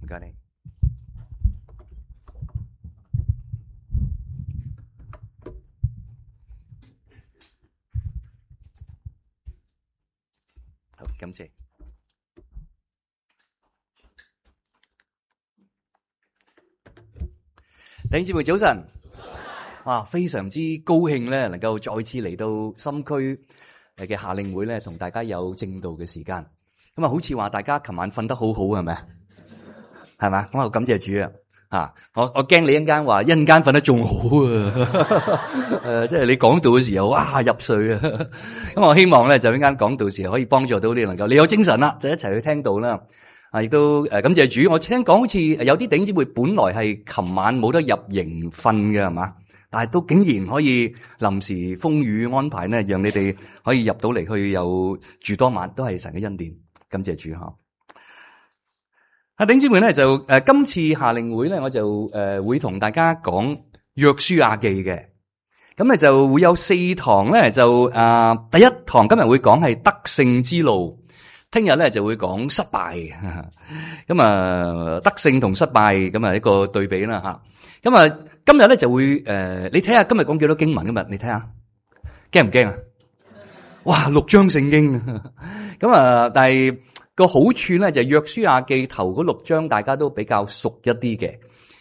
該你。好，感謝。弟兄姊妹早晨，哇，非常之高興咧，能夠再次嚟到深區嘅夏令會咧，同大家有正道嘅時間。咁啊，好似話大家琴晚瞓得好好，係咪？係咪？咁啊，感謝主啊！啊，我驚你一陣間話一陣間瞓得仲好啊！即係你講道嘅時候，哇，入睡啊！咁我希望咧，就一陣間講道時候可以幫助到你，能夠你有精神啦，就一齊去聽道啦。啊，亦都感謝主。我聽講好似有啲弟兄姊妹本來係琴晚冇得入營瞓嘅，係嘛？但係都竟然可以臨時風雨安排咧，讓你哋可以入到嚟去又住多晚，都係神嘅恩典。感謝主吓。啊，弟兄姊妹咧就今次夏令會咧，我就會同大家講約書亞記嘅。咁咧就會有4堂咧，就第一堂今日會講係得勝之路。聽日咧就會講失敗，咁啊得勝同失敗咁啊一個對比啦吓。咁啊今日咧就會你睇下今日講幾多經文？今日你睇下驚唔驚啊？哇，6章聖經，咁啊但係個好處咧就約書亞記頭嗰6章大家都比較熟一啲嘅。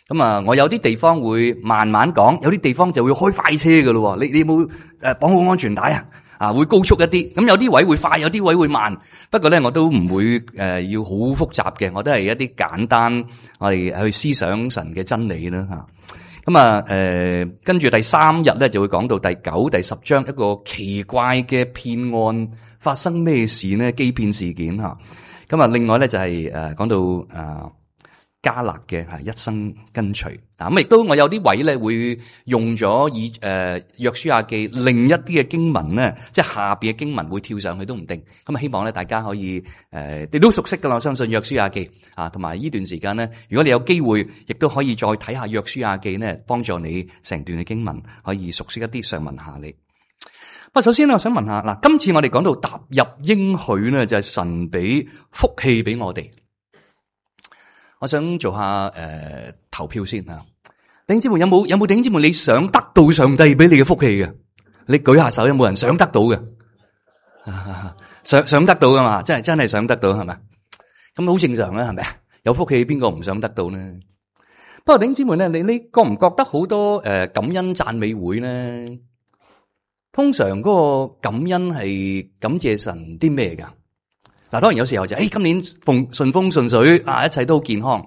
咁啊我有啲地方會慢慢講，有啲地方就會開快車噶咯。你有冇綁好安全帶啊？啊，會高速一啲，咁有啲位會快，有啲位會慢。不過咧，我都唔會要好複雜嘅，我都係一啲簡單，我哋去思想神嘅真理啦吓。咁啊，跟住第3日咧就會講到第9、第10章一個奇怪嘅騙案發生咩事呢？欺騙事件吓。咁啊，另外咧就係講到迦勒嘅一生跟隨。咁亦都我有啲位咧會用咗約書亞記另一啲嘅經文咧，即係下邊嘅經文會跳上去都唔定。咁啊，希望咧大家可以你都熟悉噶啦，我相信約書亞記啊，同埋呢段時間咧，如果你有機會，亦都可以再睇下約書亞記咧，幫助你成段嘅經文可以熟悉一啲上文下理。不過首先咧，我想問下嗱，今次我哋講到踏入應許咧，就係神俾福氣俾我哋。我想做下投票先啊！弟兄姊妹有冇弟兄姊妹你想得到上帝俾你嘅福氣嘅？你舉下手，有冇人想得到嘅？想得到噶嘛？真係想得到係咪？咁好正常啦，係咪啊？有福氣邊個唔想得到呢？不過弟兄姊妹咧，你覺唔覺得好多感恩讚美會咧？通常嗰個感恩係感謝神啲咩噶？嗱，當然有時候就今年順風順水啊，一切都好健康。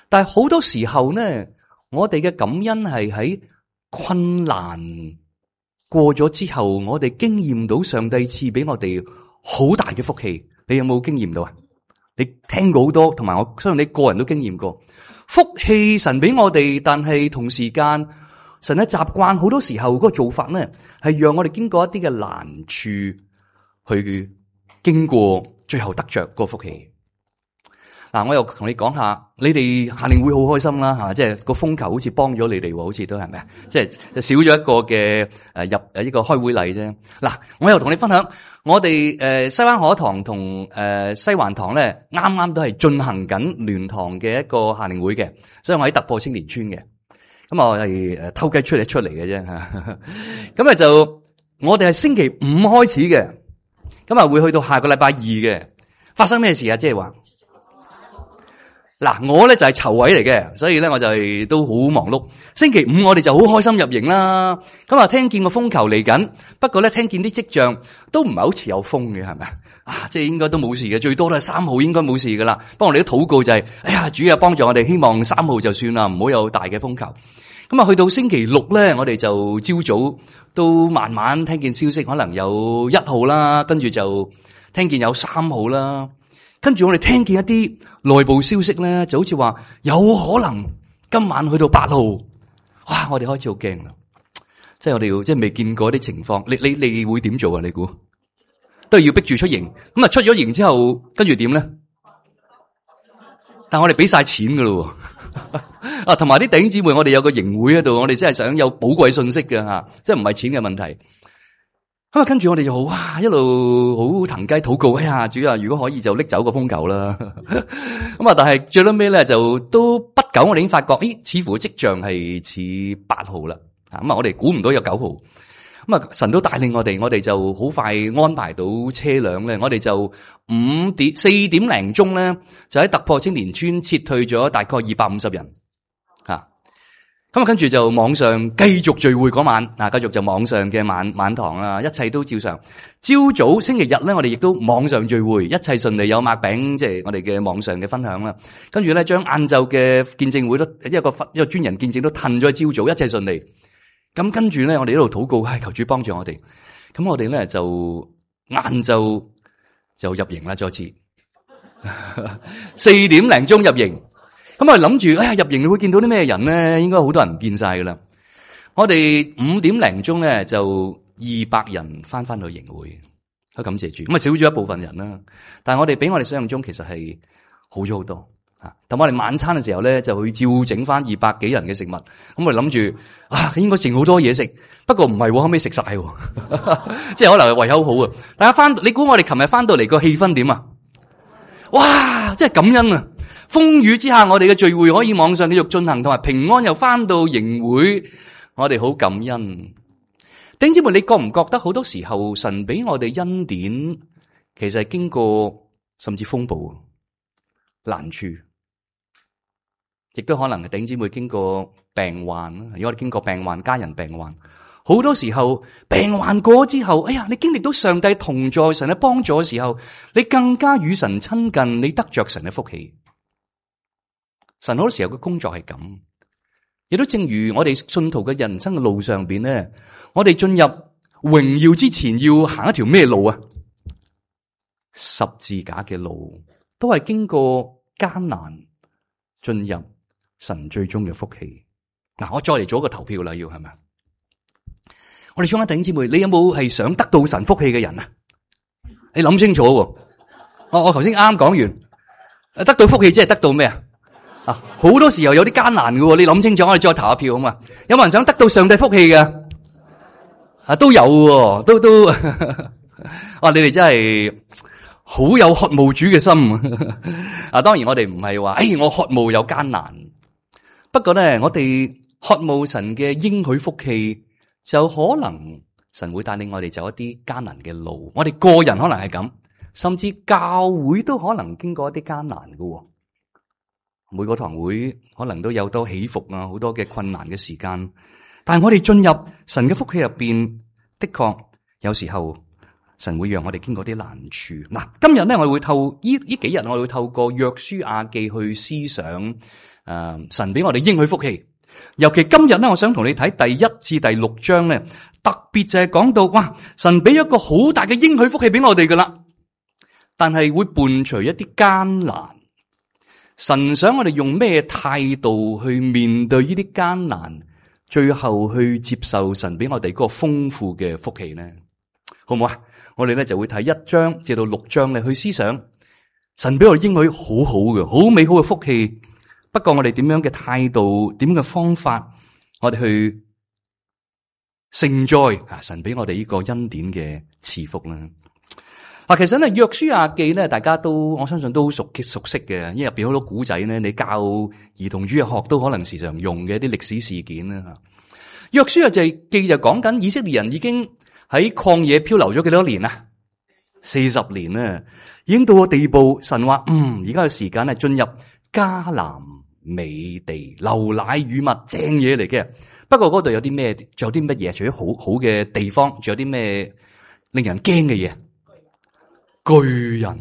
但係好多時候咧，我哋嘅感恩係喺困難過咗之後，我哋經驗到上帝賜俾我哋好大嘅福氣。你有冇經驗到啊？你聽過好多，同埋我相信你個人都經驗過福氣神俾我哋，但係同時間神嘅習慣好多時候嗰個做法咧，係讓我哋經過一啲嘅難處去經過。最後得着個福氣。嗱，我又同你講下，你哋夏令會好開心啦吓，即係個風球好似幫咗你哋，好似都係咪啊？即係少咗一個嘅入呢個開會禮啫。嗱，我又同你分享，我哋西灣河堂同西環堂咧，啱啱都係進行緊聯堂嘅一個夏令會嘅，所以我喺突破青年村嘅。咁我係偷雞出嚟嘅啫吓。咁啊就我哋係星期5開始嘅。咁啊，會去到下個禮拜2嘅。發生咩事啊？即係話，嗱，我咧就係籌委嚟嘅，所以咧我就係都好忙碌。星期5我哋就好開心入營啦。咁啊，聽見個風球嚟緊，不過咧聽見啲跡象都唔係好似有風嘅，係咪啊？即係應該都冇事嘅，最多都係3號應該冇事噶啦。不過我哋都禱告就係，哎呀，主啊幫助我哋，希望3號就算啦，唔好有大嘅風球。咁啊，去到星期6咧，我哋就朝早都慢慢聽見消息，可能有1號啦，跟住就聽見有3號啦，跟住我哋聽見一啲內部消息咧，就好似話有可能今晚去到8號，哇！我哋開始好驚啦，即係我哋要即係未見過啲情況，你會點做啊？你估都係要逼住出營，咁啊出咗營之後，跟住點咧？但係我哋俾晒錢噶咯。啊，同埋啲弟兄姊妹，我哋有個營會喺度，我哋真係想有寶貴信息嘅吓，即係唔係錢嘅問題。咁啊，跟住我哋就哇一路好騰雞禱告，哎呀，主啊，如果可以就拎走個風球啦。咁啊，但係最尾咧就都不久，我哋已經發覺，似乎跡象係似8號啦。咁啊，我哋估唔到有9號。咁啊，神都帶領我哋就好快安排到車輛咧，我哋就4點零鐘咧，就喺突破青年村撤退咗大概250人。咁啊，跟住就網上繼續聚會嗰晚，繼續就網上嘅晚堂啦，一切都照常。朝早星期日咧，我哋亦都網上聚會，一切順利，有擘餅，即係我哋嘅網上嘅分享啦。跟住咧，將晏晝嘅見證會都一個專人見證都褪咗朝早，一切順利。咁跟住咧，我哋一路禱告，求主幫助我哋。咁我哋咧就晏晝就入營啦，再次4點零鐘入營。咁我哋諗住，入營你會見到啲咩人咧？應該好多人唔見晒噶啦。我哋5點零鐘咧就200人翻去營會，好感謝主。咁啊少咗一部分人啦，但係我哋比我哋想象中其實係好咗好多。咁我哋晚餐嘅時候咧就去照整翻200幾人嘅食物。咁我哋諗住應該剩好多嘢食，不過唔係，後尾食晒，即係可能係胃口好啊。大家你估我哋琴日翻到嚟個氣氛點啊？哇！真係感恩啊！風雨之下，我哋嘅聚會可以網上繼續進行，同埋平安又翻到營會，我哋好感恩。弟兄姊妹，你覺唔覺得好多時候神俾我哋恩典，其實係經過甚至風暴、難處，亦都可能係弟兄姊妹經過病患啦。如果我哋經過病患、家人病患，好多時候病患過之後，你經歷到上帝同在、神嘅幫助嘅時候，你更加與神親近，你得着神嘅福氣。神好多時候嘅工作係咁，亦都正如我哋信徒嘅人生嘅路上邊咧，我哋進入榮耀之前要行一條咩路啊？十字架嘅路，都係經過艱難進入神最終嘅福氣。我再嚟做一個投票啦，要係咪？我哋中間弟兄姊妹，你有冇係想得到神福氣嘅人啊？你諗清楚喎。我頭先啱講完，得到福氣即係得到咩啊？好多時候有啲艱難嘅，你諗清楚，我哋再投下票啊嘛。有冇人想得到上帝福氣嘅？都有喎，都哇！你哋真係好有渴慕主嘅心。當然我哋唔係話，我渴慕有艱難。不過咧，我哋渴慕神嘅應許福氣，就可能神會帶領我哋走一啲艱難嘅路。我哋個人可能係咁，甚至教會都可能經過一啲艱難嘅。每個堂會可能都有多起伏啊，好多嘅困難嘅時間。但係我哋進入神嘅福氣入邊，的確有時候神會讓我哋經過啲難處。今日咧我哋會呢幾日我哋會透過約書亞記去思想神俾我哋應許福氣。尤其今日咧，我想同你睇第1至第6章咧，特別就係講到神俾一個好大嘅應許福氣俾我哋噶啦，但係會伴隨一啲艱難。神想我哋用咩態度去面對呢啲艱難，最後去接受神俾我哋嗰個豐富嘅福氣呢？好唔好啊？我哋咧就會睇1章至到6章咧去思想神俾我哋應許好好嘅、好美好嘅福氣。不過我哋點樣嘅態度、點樣嘅方法，我哋去承載神俾我哋呢個恩典嘅賜福呢？其實咧約書亞記咧，大家都我相信都好熟悉嘅，因為入邊好多古仔咧，你教兒童主日學都可能時常用嘅一啲歷史事件啦。約書亞記就講緊以色列人已經喺曠野漂流咗幾多年啊？40年啦，已經到個地步，神話而家嘅時間係進入迦南美地，流奶與蜜，正嘢嚟嘅。不過嗰度有啲咩？仲有啲乜嘢？除咗好嘅地方，仲有啲咩令人驚嘅嘢？巨人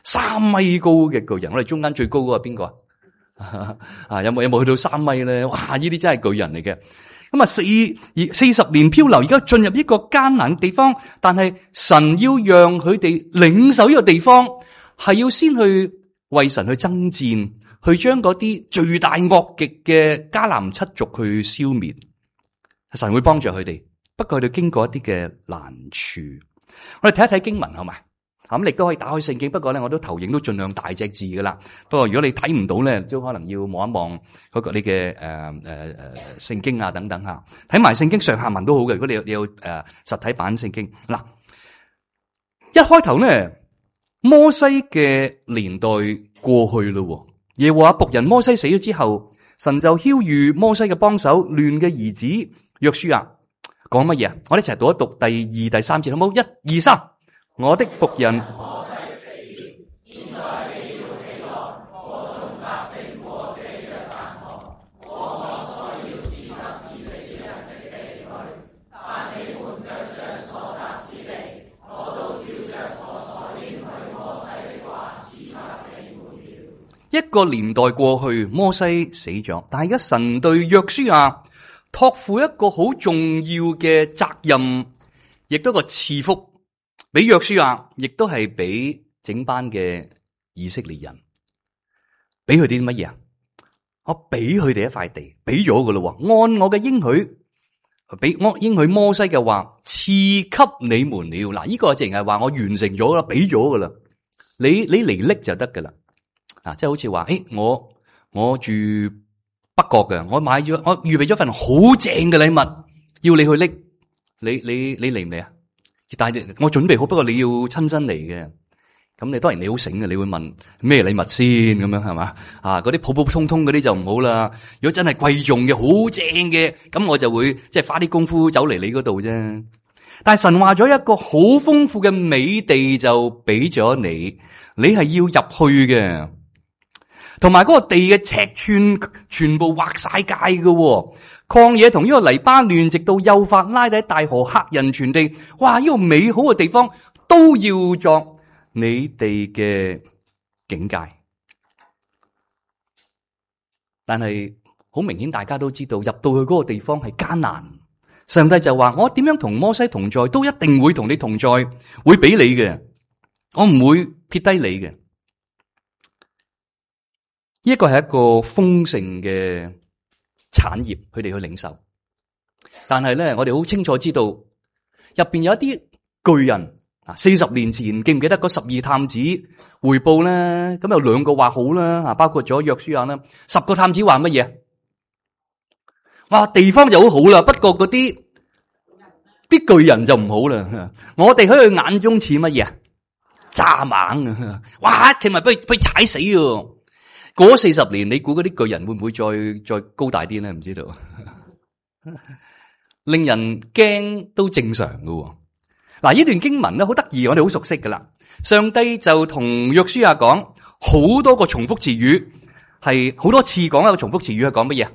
3米高嘅巨人，我哋中間最高嗰個係邊個啊？有冇去到3米咧？哇！呢啲真係巨人嚟嘅。咁40年漂流，而家進入一個艱難嘅地方，但係神要讓佢哋領受呢個地方，係要先去為神去爭戰，去將嗰啲罪大惡極嘅迦南七族去消滅。神會幫助佢哋，不過佢哋經過一啲嘅難處。我哋睇一睇經文好嘛？咁你都可以打開聖經，不過咧我都投影都盡量大隻字噶啦。不過如果你睇唔到咧，都可能要望一望嗰個你嘅聖經啊等等吓，睇埋聖經上下文都好嘅。如果你有實體版聖經嗱，一開頭咧摩西嘅年代過去咯，耶和華僕人摩西死咗之後，神就曉諭摩西嘅幫手嫩嘅兒子約書亞講乜嘢？我哋一齊讀一讀第2、第3節好冇？1、2、3，我的僕人摩西死了，現在你要起來，和眾百姓過這約旦河，過我所要賜給以色列人的地去。凡你們腳掌所踏之地，我都照着我所應許摩西的話賜給你們了。一個年代過去，摩西死咗，但係而家神對約書亞託付一個好重要嘅責任，亦都個賜福。俾約書亞，亦都係俾整班嘅以色列人，俾佢哋啲乜嘢啊？我俾佢哋一塊地，俾咗噶咯。按我嘅應許，俾我應許摩西嘅話，賜給你們了。嗱，呢個淨係話我完成咗啦，俾咗噶啦。你嚟拎就得噶啦。啊，即係好似話，我住北角嘅，我預備咗份好正嘅禮物，要你去拎，你嚟唔嚟啊？但係我準備好，不過你要親身嚟嘅。咁你當然你好醒嘅，你會問咩禮物先咁樣係嘛？啊，嗰啲普普通通嗰啲就唔好啦。如果真係貴重嘅、好正嘅，咁我就會即係花啲功夫走嚟你嗰度啫。但係神話咗一個好豐富嘅美地就俾咗你，你係要入去嘅，同埋嗰個地嘅尺寸全部劃晒界嘅。曠野同呢個黎巴嫩，直到幼發拉底大河、赫人全地，哇！呢個美好嘅地方都要作你哋嘅境界。但係好明顯，大家都知道入到去嗰個地方係艱難。上帝就話：我點樣同摩西同在，都一定會同你同在，會俾你嘅，我唔會撇低你嘅。呢個係一個豐盛嘅產業，佢哋去領受。但係咧，我哋好清楚知道入邊有一啲巨人啊！40年前記唔記得嗰12探子回報咧？咁有2個話好啦，啊，包括咗約書亞啦。10個探子話乜嘢？哇，地方就好好啦，不過嗰啲巨人就唔好啦。我哋喺佢眼中似乜嘢？蚱蜢啊！哇，佢咪俾佢踩死喎！過咗40年，你估嗰啲巨人會唔會再高大啲咧？唔知道，令人驚都正常噶。嗱，呢段經文咧好得意，我哋好熟悉噶啦。上帝就同約書亞講好多個重複詞語，係好多次講一個重複詞語係講乜嘢？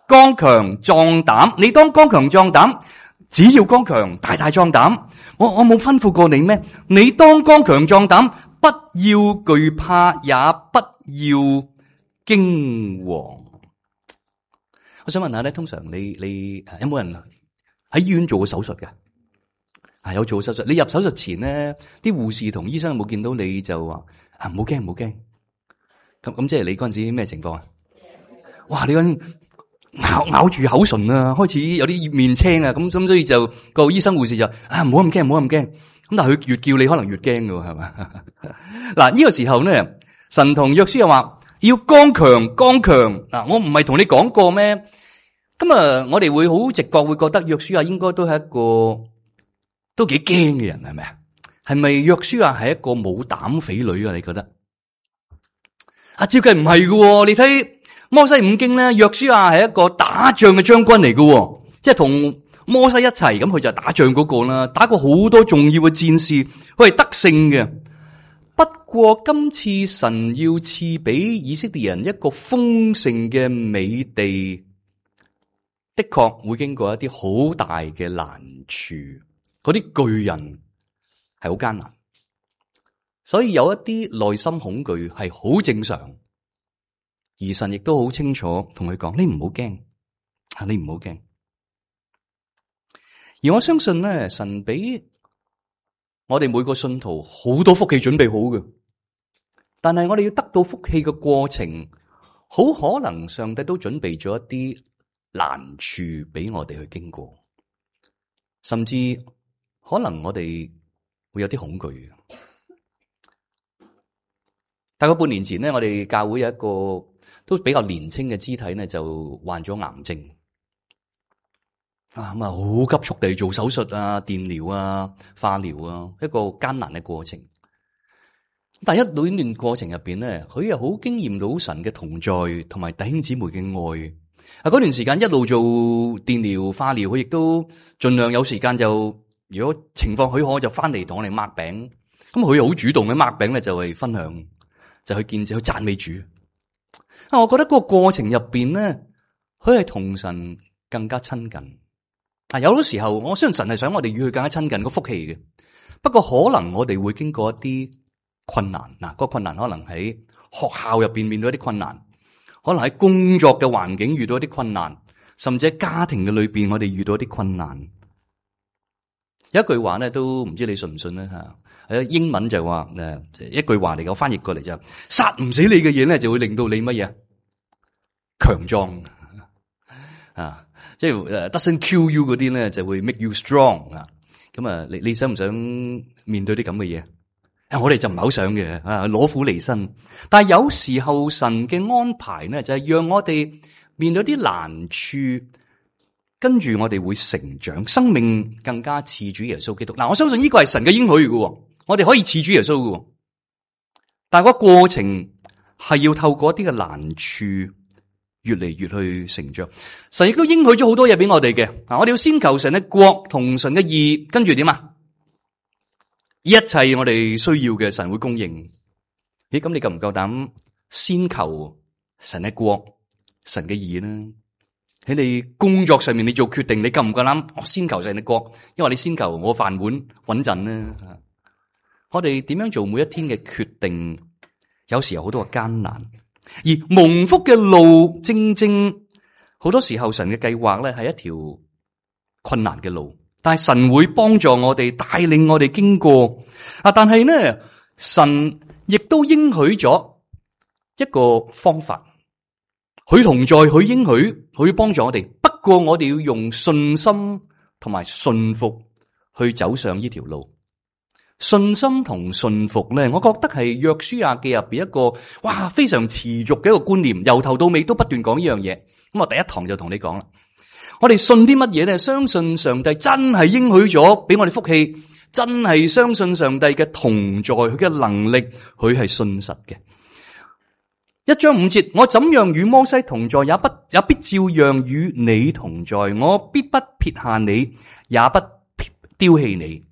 剛強壯膽，你當剛強壯膽，只要剛強大大壯膽。我冇吩咐過你咩？你當剛強壯膽，不要懼怕，也不要驚惶。我想問下咧，通常你有冇人喺醫院做過手術嘅？有做過手術。你入手術前咧，啲護士同醫生有冇見到你就話唔好驚，唔好驚。咁即係你嗰陣時咩情況啊？哇！你嗰陣咬住口唇啊，開始有啲面青啊，咁所以就個醫生護士就唔好咁驚，唔好咁驚。咁但係佢越叫你可能越驚㗎，係嘛？嗱，呢個時候咧，神同約書亞話要剛強，剛強。嗱，我唔係同你講過咩？咁啊，我哋會好直覺會覺得約書亞應該都係一個都幾驚嘅人，係咪啊？係咪約書亞係一個冇膽匪女啊？你覺得？啊，照計唔係㗎，你睇摩西五經咧，約書亞係一個打仗嘅將軍嚟㗎，即係同摩西一齊，咁佢就係打仗嗰個啦，打過好多重要嘅戰事，佢係得勝嘅。不過今次神要賜俾以色列人一個豐盛嘅美地，的確會經過一啲好大嘅難處，嗰啲巨人係好艱難，所以有一啲內心恐懼係好正常。而神亦都好清楚同佢講：你唔好驚，你唔好驚。而我相信咧，神俾我哋每個信徒好多福氣準備好嘅，但係我哋要得到福氣嘅過程，好可能上帝都準備咗一啲難處俾我哋去經過，甚至可能我哋會有啲恐懼嘅。大概半年前咧，我哋教會有一個都比較年輕嘅肢體咧，就患咗癌症。咁啊，好急速地做手術啊、電療啊、化療啊，一個艱難嘅過程。但係一段過程入邊咧，佢又好經驗到神嘅同在，同埋弟兄姊妹嘅愛。嗰段時間一路做電療、化療，佢亦都盡量有時間就，如果情況許可，就翻嚟同我哋擘餅。咁佢又好主動嘅擘餅咧，就係分享，就去見證、去讚美主。我覺得嗰個過程入邊咧，佢係同神更加親近。有好多時候，我相信神係想我哋與佢更加親近個福氣嘅。不過可能我哋會經過一啲困難，嗰個困難可能喺學校入邊面對一啲困難，可能喺工作嘅環境遇到一啲困難，甚至喺家庭嘅裏邊我哋遇到一啲困難。有一句話咧，都唔知你信唔信咧吓？英文就話一句話嚟嘅，我翻譯過嚟就殺唔死你嘅嘢咧，就會令到你乜嘢強壯啊！即係doesn't kill you 嗰啲咧，就會 make you strong 啊！咁啊，你想唔想面對啲咁嘅嘢？我哋就唔係好想嘅攞苦離身。但係有時候神嘅安排咧，就係讓我哋面對啲難處，跟住我哋會成長，生命更加似主耶穌基督。嗱，我相信呢個係神嘅應許嘅，我哋可以似主耶穌嘅。但係個過程係要透過一啲嘅難處，越嚟越去成長。神亦都應許咗好多嘢俾我哋嘅。我哋要先求神嘅國同神嘅義，跟住點啊？一切我哋需要嘅神會供應。咦，咁你夠唔夠膽先求神嘅國、神嘅義呢？喺你工作上面你做決定，你夠唔夠膽我先求神嘅國？因為你先求我飯碗穩陣呢？我哋點樣做每一天嘅決定，有時有好多嘅艱難。而蒙福嘅路，正正好多時候神嘅計劃咧係一條困難嘅路，但係神會幫助我哋，帶領我哋經過。但係呢，神亦都應許咗一個方法，佢同在，佢應許，佢幫助我哋。不過我哋要用信心同埋信服去走上呢條路。信心同信服咧，我覺得係約書亞記入邊一個非常持續嘅一個觀念，由頭到尾都不斷講呢樣嘢。咁我第一堂就同你講啦，我哋信啲乜嘢咧？相信上帝真係應許咗俾我哋福氣，真係相信上帝嘅同在，佢嘅能力，佢係信實嘅。1章5節，我怎樣與摩西同在，也必照樣與你同在，我必不撇下你，也不丟棄你。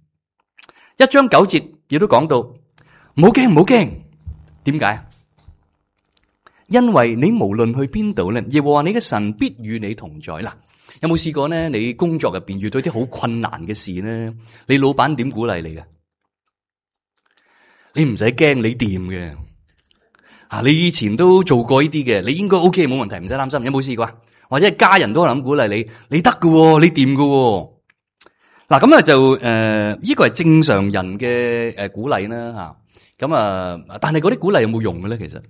1章9節亦都講到，唔好驚，唔好驚。點解？因為你無論去邊度咧，耶和華你嘅神必與你同在。嗱，有冇試過咧？你工作入邊遇到啲好困難嘅事咧，你老闆點鼓勵你嘅？你唔使驚，你掂嘅。你以前都做過呢啲嘅，你應該 OK， 冇問題，唔使擔心。有冇試過？或者係家人都可能鼓勵你，你得㗎，你掂㗎。嗱，咁就呢個係正常人嘅鼓勵啦吓。咁但係嗰啲鼓勵有冇用嘅咧？其實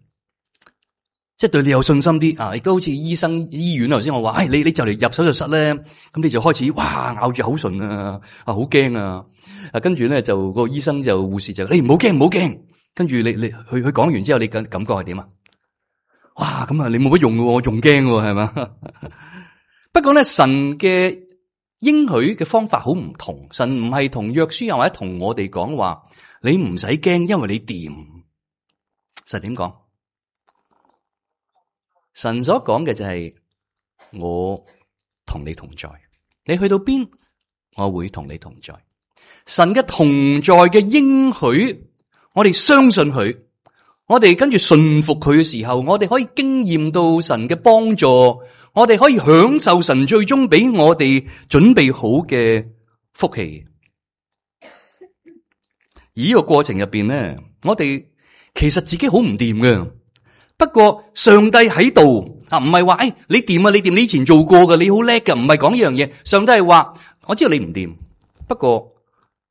即係對你有信心啲亦都好似醫院頭先我話，你就嚟入手術室咧，咁你就開始咬住口唇好驚啊！跟住咧就個醫生就護士就你唔好驚，唔好驚。跟住你佢講完之後，你感覺係點啊？哇！咁你冇乜用嘅，我仲驚喎，係嘛？不過咧，神嘅應許嘅方法好唔同。神唔係同約書亞或者同我哋講話，你唔使驚，因為你掂。神點講？神所講嘅就係我同你同在，你去到邊，我會同你同在。神嘅同在嘅應許，我哋相信佢，我哋跟住信服佢嘅時候，我哋可以經驗到神嘅幫助，我哋可以享受神最終俾我哋準備好嘅福氣。而呢個過程入邊咧，我哋其實自己好唔掂嘅。不過上帝喺度唔係話你掂啊，你掂，你以前做過嘅，你好叻嘅，唔係講呢樣嘢。上帝係話我知道你唔掂，不過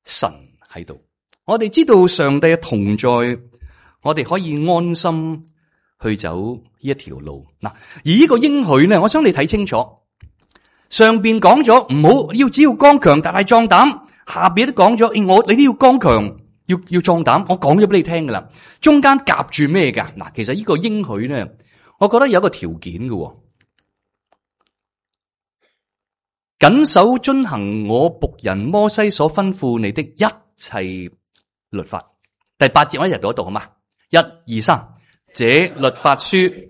神喺度。我哋知道上帝嘅同在，我哋可以安心去走呢一條路。嗱，而呢個應許咧，我想你睇清楚。上邊講咗唔好，只要剛強，大大壯膽。下邊都講咗，你都要剛強，要壯膽。我講咗俾你聽噶啦，中間夾住咩噶？嗱，其實呢個應許咧，我覺得有一個條件嘅，謹守遵行我僕人摩西所吩咐你的一切律法。第8節我一齊讀一讀好嘛？1、2、3，這律法書。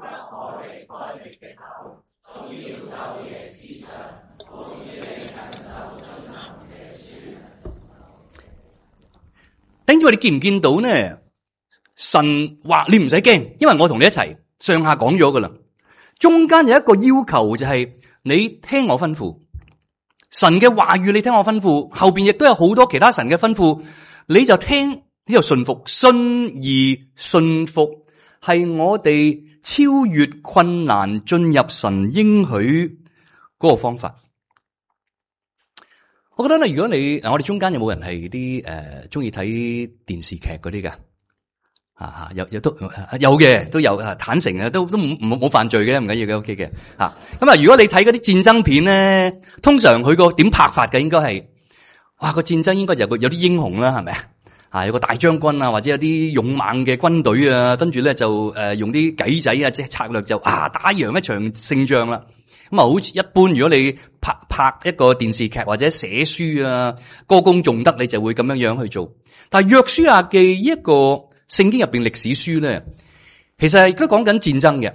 等住你見唔見到呢？神話你唔使驚，因為我同你一齊上下講咗噶啦。中間有一個要求就係你聽我吩咐，神嘅話語你聽我吩咐，後邊亦都有好多其他神嘅吩咐，你就聽，你就順服。信而順服係我哋超越困難進入神應許嗰個方法。我覺得咧，如果你我哋中間有冇人係啲中意睇電視劇嗰啲㗎？有都有嘅，都有坦誠嘅，都冇犯罪嘅，唔緊要嘅 ，OK 嘅吓。咁啊，如果你睇嗰啲戰爭片咧，通常佢個點拍法嘅，應該係哇個戰爭應該有啲英雄啦，係咪啊？有個大將軍啊，或者有啲勇猛嘅軍隊啊，跟住咧就用啲計仔啊，即係策略就打贏一場勝仗啦。咁啊，好似一般，如果你拍一個電視劇或者寫書啊，歌功頌德，你就會咁樣去做。但係約書亞記一個聖經入邊歷史書咧，其實係都講緊戰爭嘅。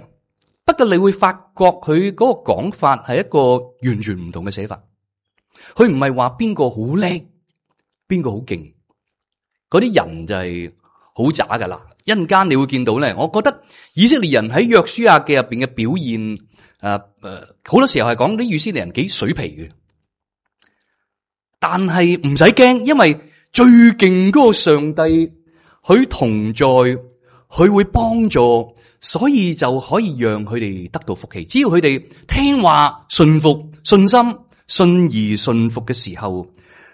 不過你會發覺佢嗰個講法係一個完全唔同嘅寫法。佢唔係話邊個好叻，邊個好勁，嗰啲人就係好渣噶啦。一陣間你會見到咧，我覺得以色列人喺約書亞記入邊嘅表現。好多時候係講啲以色列人幾水皮嘅，但係唔使驚，因為最勁嗰個上帝，佢同在，佢會幫助，所以就可以讓佢哋得到福氣。只要佢哋聽話、順服、信心、信而順服嘅時候，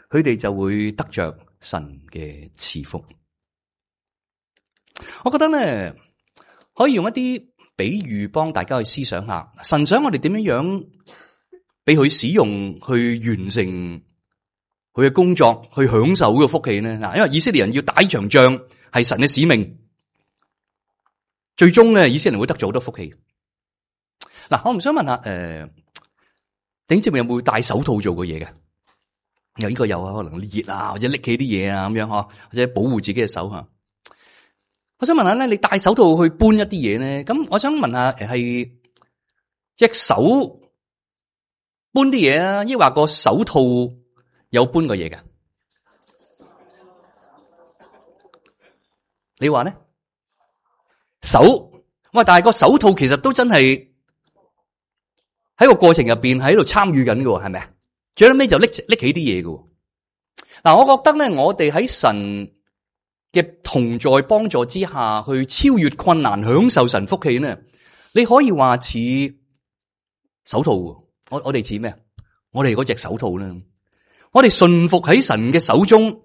佢哋就會得着神嘅賜福。我覺得咧，可以用一啲比喻幫大家去思想下，神想我哋點樣俾佢使用去完成佢嘅工作，去享受呢個福氣呢？嗱，因為以色列人要打一場仗係神嘅使命，最終咧以色列人會得咗好多福氣。嗱，我唔想問下頂尖有冇戴手套做過嘢嘅？有呢個有啊，可能熱啊，或者拎起啲嘢啊咁樣嗬，或者保護自己嘅手吓。我想問下咧，你戴手套去搬一啲嘢咧？咁我想問下，係隻手搬啲嘢啊，抑或個手套有搬過嘢嘅？你話咧？手，喂，但係個手套其實都真係喺個過程入邊喺度參與緊嘅，係咪啊？最後尾就拎起啲嘢嘅。嗱，我覺得咧，我哋喺神嘅同在幫助之下，去超越困難，享受神福氣呢？你可以話似手套，我哋似咩？我哋嗰隻手套呢？我哋順服喺神嘅手中，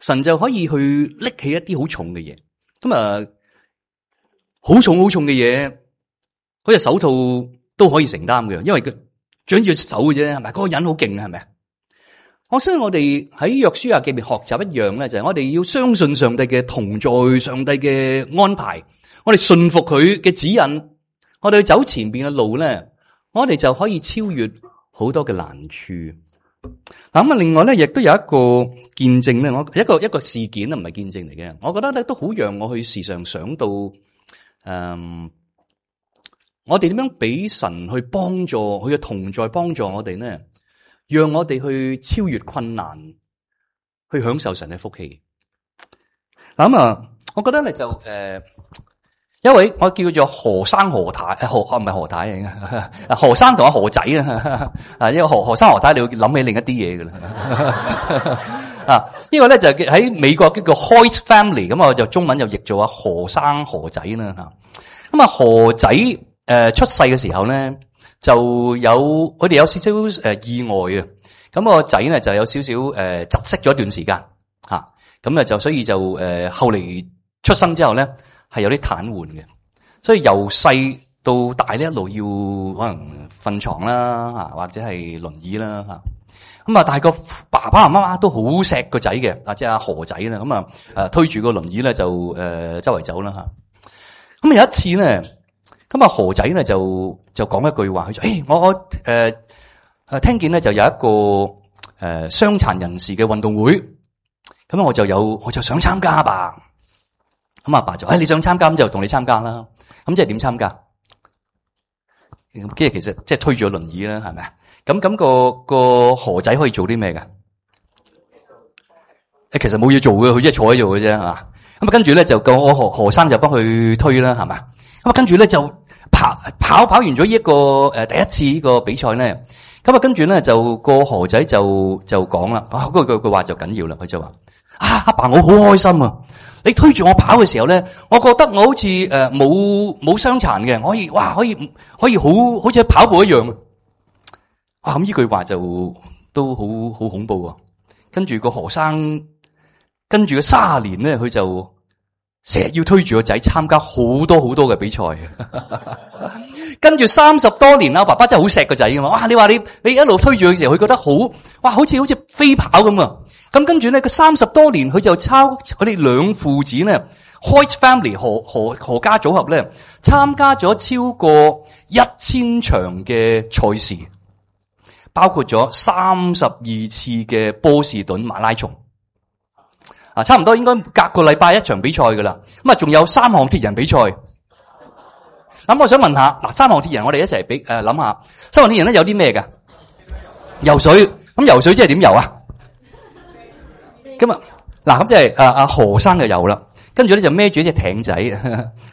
神就可以去拎起一啲好重嘅嘢。咁啊，好重嘅嘢，嗰隻手套都可以承擔嘅，因為佢長住隻手嘅啫，係咪？嗰個人好勁，係咪？我相信我哋喺約書亞記面學習一樣咧，就係我哋要相信上帝嘅同在，上帝嘅安排，我哋信服佢嘅指引，我哋去走前邊嘅路咧，我哋就可以超越好多嘅難處。嗱咁啊，另外咧，亦都有一個見證咧，我一個事件啊，唔係見證嚟嘅，我覺得咧都好讓我去時常想到，我哋點樣俾神去幫助佢嘅同在，幫助我哋呢？讓我哋去超越困難，去享受神嘅福氣。嗱咁啊，我覺得咧就一位我叫做何生何太，唔係何太啊，何生同阿何仔啊，因為何生何太你會諗起另一啲嘢噶啦。啊，呢個咧就喺美國叫做 Hoyt Family， 咁我就中文就譯做阿何生何仔啦吓。咁啊何仔出世嘅時候咧，就有佢哋有少少意外啊，咁個仔咧就有少少窒息咗一段時間吓，咁啊就所以就後嚟出生之後咧係有啲癱瘓嘅，所以由細到大呢一路要可能瞓床啦吓，或者係輪椅啦吓。咁啊，但係個爸爸媽媽都好錫個仔嘅，即係阿何仔啦。咁啊，推住個輪椅咧就周圍走啦吓。咁有一次咧，咁啊何仔咧就講一句話，佢就我聽見咧就有一個傷殘人士嘅運動會，咁我就想參加吧。咁阿爸就你想參加，咁就同你參加啦。咁即係點參加？其實即係推住個輪椅啦，係咪啊？咁個何仔可以做啲咩㗎？其實冇嘢做嘅，佢即係坐喺度嘅啫，係嘛？咁啊，跟住咧就個我何生就幫佢推啦，係嘛？咁啊，跟住咧就跑完咗呢一個第一次呢個比賽咧，咁啊，跟住咧就個何仔就講啦，嗰句話就緊要啦，佢就話阿爸，我好開心啊！你推住我跑嘅時候咧，我覺得我好似冇傷殘嘅，可以好似跑步一樣。咁呢句話就都好恐怖啊！跟住個何生，跟住個30年咧，佢就成日要推住個仔參加好多嘅比賽。跟住30多年啦，爸爸真係好錫個仔噶嘛！你話你一路推住佢嘅時候，佢覺得好似飛跑咁啊！咁跟住咧，佢30多年，佢就佢哋兩父子咧 ，Hoyt Family 何家組合咧，參加咗超過1000場嘅賽事，包括咗32次嘅波士頓馬拉松。差唔多應該隔個禮拜一場比賽噶啦。咁啊，仲有3項鐵人比賽。咁我想問下，嗱，3項鐵人我哋一齊諗下，3項鐵人咧有啲咩㗎？游水。咁游水即係點游啊？咁啊，嗱，咁即係阿何生就游啦，跟住咧就孭住一隻艇仔，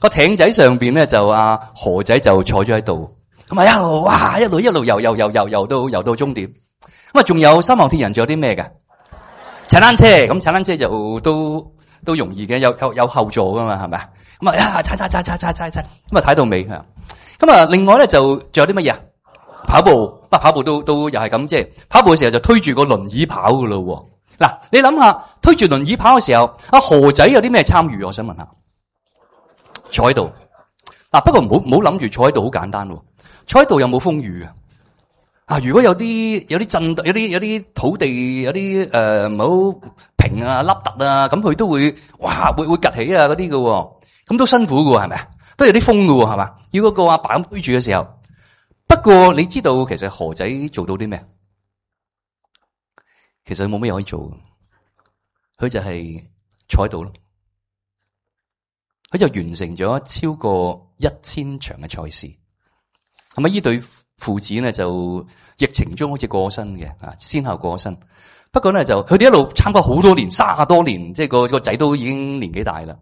個艇仔上邊咧就阿何仔就坐咗喺度，咁啊一路游到終點。咁啊，仲有3項鐵人，仲有啲咩㗎？踩單車，咁踩單車就都容易嘅，有後座噶嘛，係咪啊？咁啊，踩，咁啊睇到尾吓。咁啊，另外咧就仲有啲乜嘢啊？跑步都又係咁，即係跑步嘅時候就推住個輪椅跑噶咯。嗱，你諗下，推住輪椅跑嘅時候，阿何仔有啲咩參與？我想問下，坐喺度。嗱，不過唔好諗住坐喺度好簡單喎，坐喺度有冇風雨啊？如果有啲震，有啲土地，有啲唔好平啊、凹凸啊，咁佢都會會趌起啊嗰啲嘅，咁都辛苦嘅，係咪啊？都有啲風嘅，係嘛？要嗰個阿爸咁推住嘅時候，不過你知道其實何仔做到啲咩？其實佢冇咩可以做，佢就係坐喺度咯。佢就完成咗超過1000場嘅賽事。咁啊，呢對父子咧就疫情中好似過身嘅，先後過身。不過咧就佢哋一路參加好多年，30多年，即係個仔都已經年紀大啦。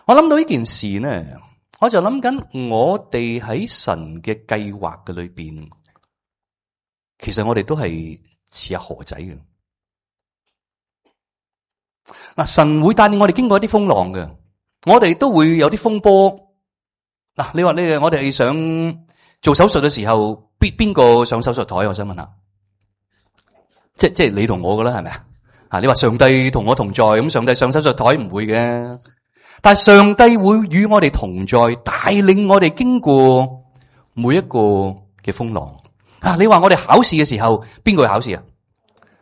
我諗到呢件事咧，我就諗緊我哋喺神嘅計劃嘅裏邊，其實我哋都係似阿何仔嘅。嗱，神會帶領我哋經過一啲風浪嘅，我哋都會有啲風波。嗱，你話我哋想做手術嘅時候，邊個上手術台？我想問下，即係你同我噶啦，係咪啊？你話上帝同我同在，咁上帝上手術台唔會嘅，但係上帝會與我哋同在，帶領我哋經過每一個嘅風浪。你話我哋考試嘅時候，邊個去考試啊？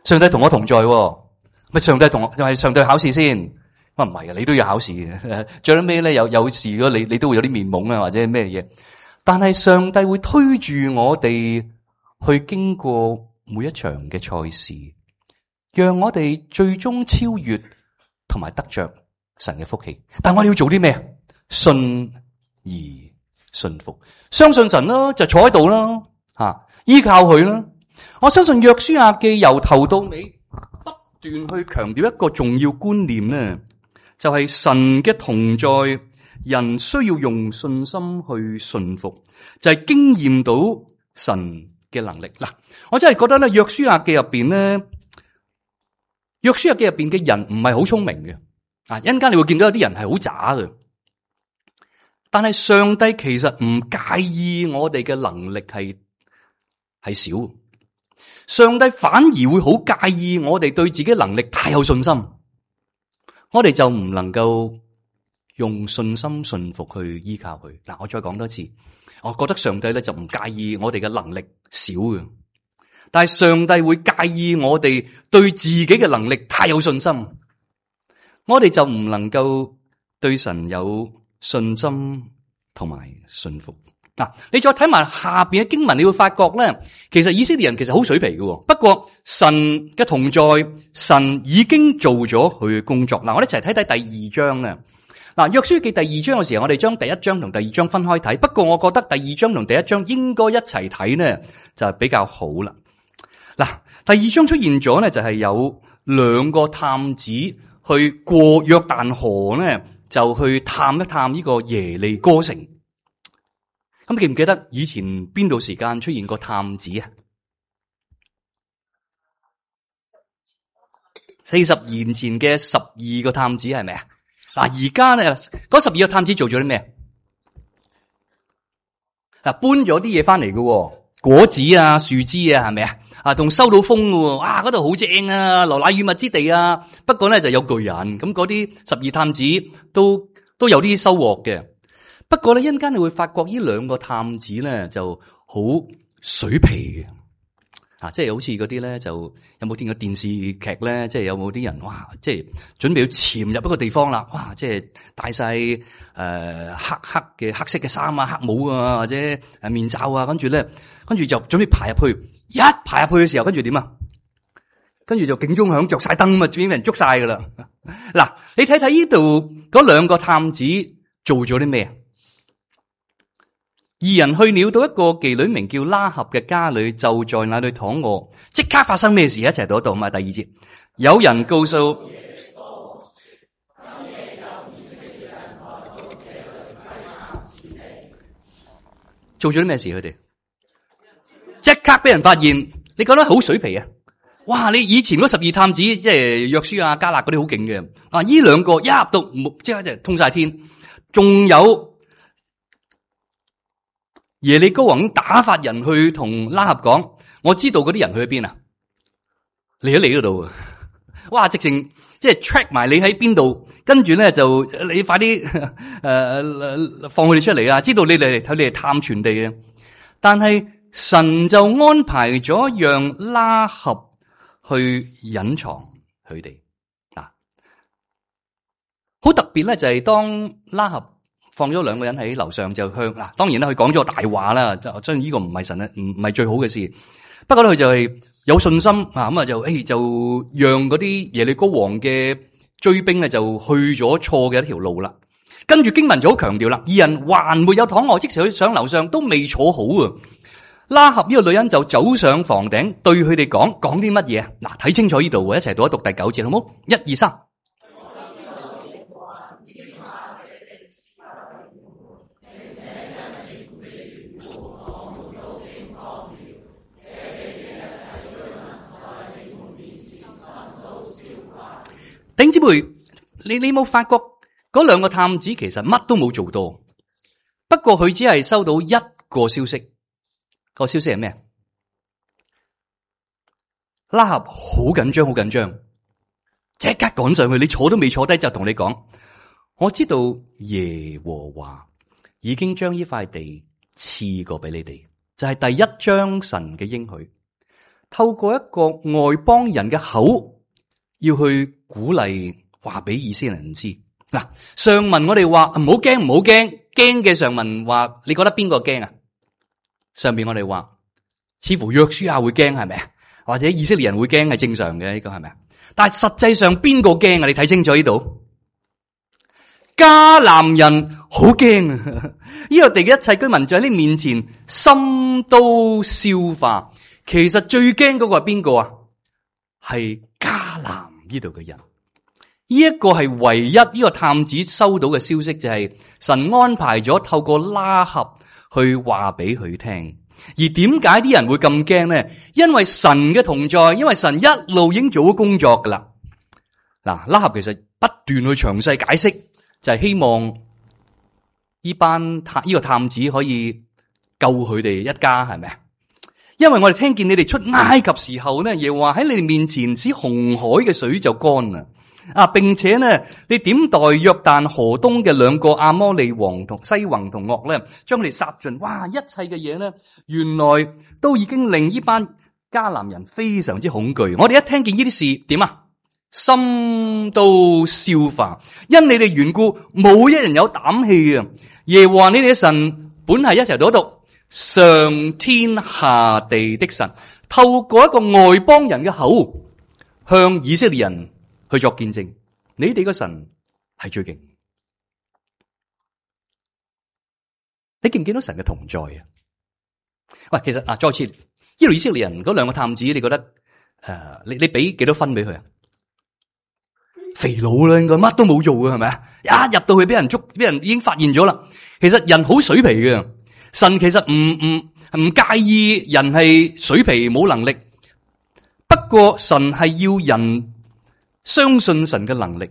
上帝同我同在，咪上帝上帝考試先？唔係啊，你都要考試嘅。最尾咧有事咗，你都會有啲面懵啊，或者咩嘢？但係上帝會推住我哋去經過每一場嘅賽事，讓我哋最終超越同埋得着神嘅福氣。但我哋要做啲咩？信而信服，相信神啦，就坐喺度啦，依靠佢啦。我相信約書亞記由頭到尾不斷去強調一個重要觀念咧，就係神嘅同在。人需要用信心去信服，就係經驗到神嘅能力。嗱，我真係覺得咧，約書亞記入邊咧，約書亞記入邊嘅人唔係好聰明嘅。一陣間你會見到有啲人係好渣嘅，但係上帝其實唔介意我哋嘅能力係少，上帝反而會好介意我哋對自己能力太有信心，我哋就唔能夠用信心信服去依靠佢。嗱，我再講多次，我覺得上帝咧就唔介意我哋嘅能力少嘅，但係上帝會介意我哋對自己嘅能力太有信心，我哋就唔能夠對神有信心同埋信服。你再睇埋下邊嘅經文，你會發覺咧，其實以色列人其實好水皮嘅。不過神嘅同在，神已經做咗佢嘅工作。我哋一齊睇睇第二章咧。約書記第二章嘅時候，我哋將第一章同第二章分開睇。不過我覺得第二章同第一章應該一齊睇呢，就比較好啦。第二章出現咗呢，就係有兩個探子去過約旦河呢，就去探一探呢個耶利哥城。咁記唔記得以前邊度時間出現過探子啊？40年前嘅12個探子係咪啊？而家咧嗰12個探子做咗啲咩？搬咗啲嘢翻嚟嘅，果子啊、樹枝啊，係咪啊？仲收到風嘅，哇！嗰度好正啊，流奶與蜜之地啊。不過咧就有巨人，咁嗰啲12探子都有啲收穫嘅。不過咧，一陣間你會發覺呢兩個探子咧就好水皮嘅，即係好似嗰啲咧，就有冇見過電視劇咧？即係有冇啲人哇，即係準備要潛入一個地方啦，哇！即係戴晒黑色嘅衫啊、黑帽啊，或者面罩啊，跟住就準備爬入去。一爬入去嘅時候，跟住點啊？跟住就警鐘響，着晒燈啊，已經俾人捉晒噶啦。你睇睇呢度嗰兩個探子做咗啲咩？二人去了到一個妓女名叫拉合嘅家裏，就在那裏躺臥。即刻發生咩事？一齊讀一讀嘛。第二節，有人告訴做咗啲咩事？佢哋即刻俾人發現。你覺得好水皮啊？哇！你以前嗰12探子，即係約書亞、迦勒嗰啲好勁嘅。呢兩個一入到即刻就通晒天，仲有。耶利哥王打發人去同拉合講，我知道嗰啲人去邊啊？嚟咗你嗰度啊！哇，直情即係 track 埋你喺邊度，跟住咧就你快啲放佢哋出嚟啊！知道你哋睇你哋探傳地嘅，但係神就安排咗讓拉合去隱藏佢哋好特別咧，就係當拉合放咗兩個人喺樓上就向當然啦，佢講咗大話啦，就雖然呢個唔係神咧，唔係最好嘅事。不過咧，佢就係有信心咁就讓嗰啲耶利哥王嘅追兵咧就去咗錯嘅一條路啦。跟住經文就好強調啦，二人還沒有躺臥，即時去上樓上都未坐好啊。拉合呢個女人就走上房頂，對佢哋講啲乜嘢啊？睇清楚呢度，一齊讀一讀第9節，好冇？1、2、3。弟兄姊妹，你冇發覺嗰兩個探子其實乜都冇做到，不過佢只係收到一個消息，個消息係咩？拉合好緊張，好緊張，即刻趕上去，你坐都未坐低就同你講，我知道耶和華已經將呢塊地賜過俾你哋，就係第一章神嘅應許，透過一個外邦人嘅口。要去鼓勵話俾以色列人知。上文我哋話唔好驚，唔好驚，驚嘅上文話你覺得邊個驚啊？上邊我哋話似乎約書亞會驚係咪啊？或者以色列人會驚係正常嘅，呢個係咪啊？但係實際上邊個驚啊？你睇清楚呢度，迦南人好驚啊！呢個地嘅一切居民在你面前心都消化。其實最驚嗰個係邊個啊？係迦南呢度嘅人，呢一個係唯一呢個探子收到嘅消息，就係神安排咗透過拉合去話俾佢聽。而點解啲人會咁驚呢？因為神嘅同在，因為神一路已經做咗工作噶啦。拉合其實不斷去詳細解釋，就係希望呢個探子可以救佢哋一家，係咪啊？因為我哋聽見你哋出埃及時候呢，耶和華喺你哋面前使紅海嘅水就乾啦。並且呢，你點待約旦河東嘅兩個亞摩利王同西宏同噩呢，將佢哋殺盡。哇！一切嘅嘢呢，原來都已經令呢班迦南人非常之恐懼。我哋一聽見呢啲事，點啊？心都消化，因你哋緣故，冇一人有膽氣啊！耶和華你哋嘅神本係一齊讀一讀，上天下地的神，透過一個外邦人嘅口，向以色列人去作見證，你哋嘅神係最勁。你見唔見到神嘅同在啊？喂，其實再次呢度以色列人嗰兩個探子，你覺得你俾幾多分俾佢啊？肥佬啦，應該乜都冇做嘅係咪啊？一入到去俾人捉，俾人已經發現咗啦。其實人好水皮嘅，神其實唔介意人係水皮冇能力，不過神係要人相信神嘅能力，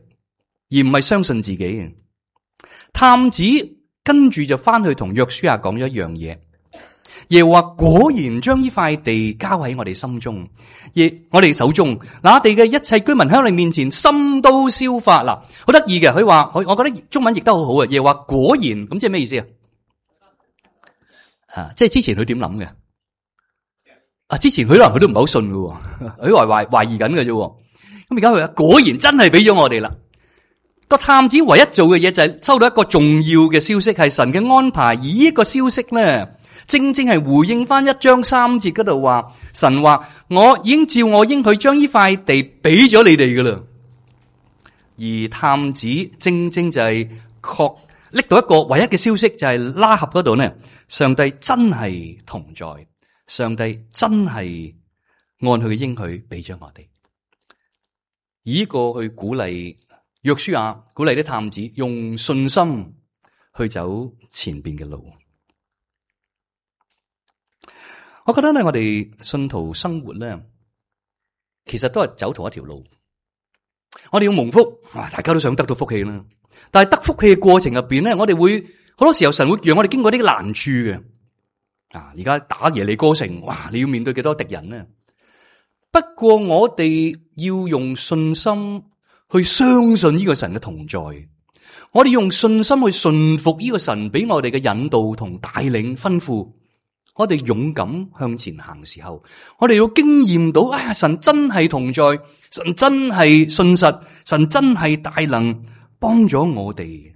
而唔係相信自己嘅。探子跟住就翻去同約書亞講咗一樣嘢。耶和華果然將呢塊地交喺我哋心中，我哋手中，那地嘅一切居民喺我哋面前，心都消化。嗱，好得意嘅，佢話我覺得中文譯得好好啊。耶和華果然，咁即係咩意思啊？即係之前佢點諗嘅？之前佢可能佢都唔係好信嘅，佢懷疑緊嘅啫。咁而家佢話果然真係俾咗我哋啦。個探子唯一做嘅嘢就係收到一個重要嘅消息，係神嘅安排，而呢個消息咧，正正係回應翻1章3節嗰度話，神話我已經照我應許將呢塊地俾咗你哋噶啦。而探子正正就係拎到一個唯一嘅消息，就係拉合嗰度呢，上帝真係同在，上帝真係按佢嘅應許俾咗我哋。以呢個去鼓勵約書亞，鼓勵啲探子用信心去走前邊嘅路。我覺得咧，我哋信徒生活咧，其實都係走同一條路。我哋要蒙福，大家都想得到福氣啦。但係得福氣嘅過程入邊咧，我哋會好多時候神會讓我哋經過啲難處嘅。而家打耶利哥城，哇！你要面對幾多敵人呢？不過我哋要用信心去相信呢個神嘅同在。我哋用信心去順服呢個神俾我哋嘅引導同帶領吩咐。我哋勇敢向前行嘅時候，我哋要經驗到，神真係同在，神真係信實，神真係大能幫咗我哋。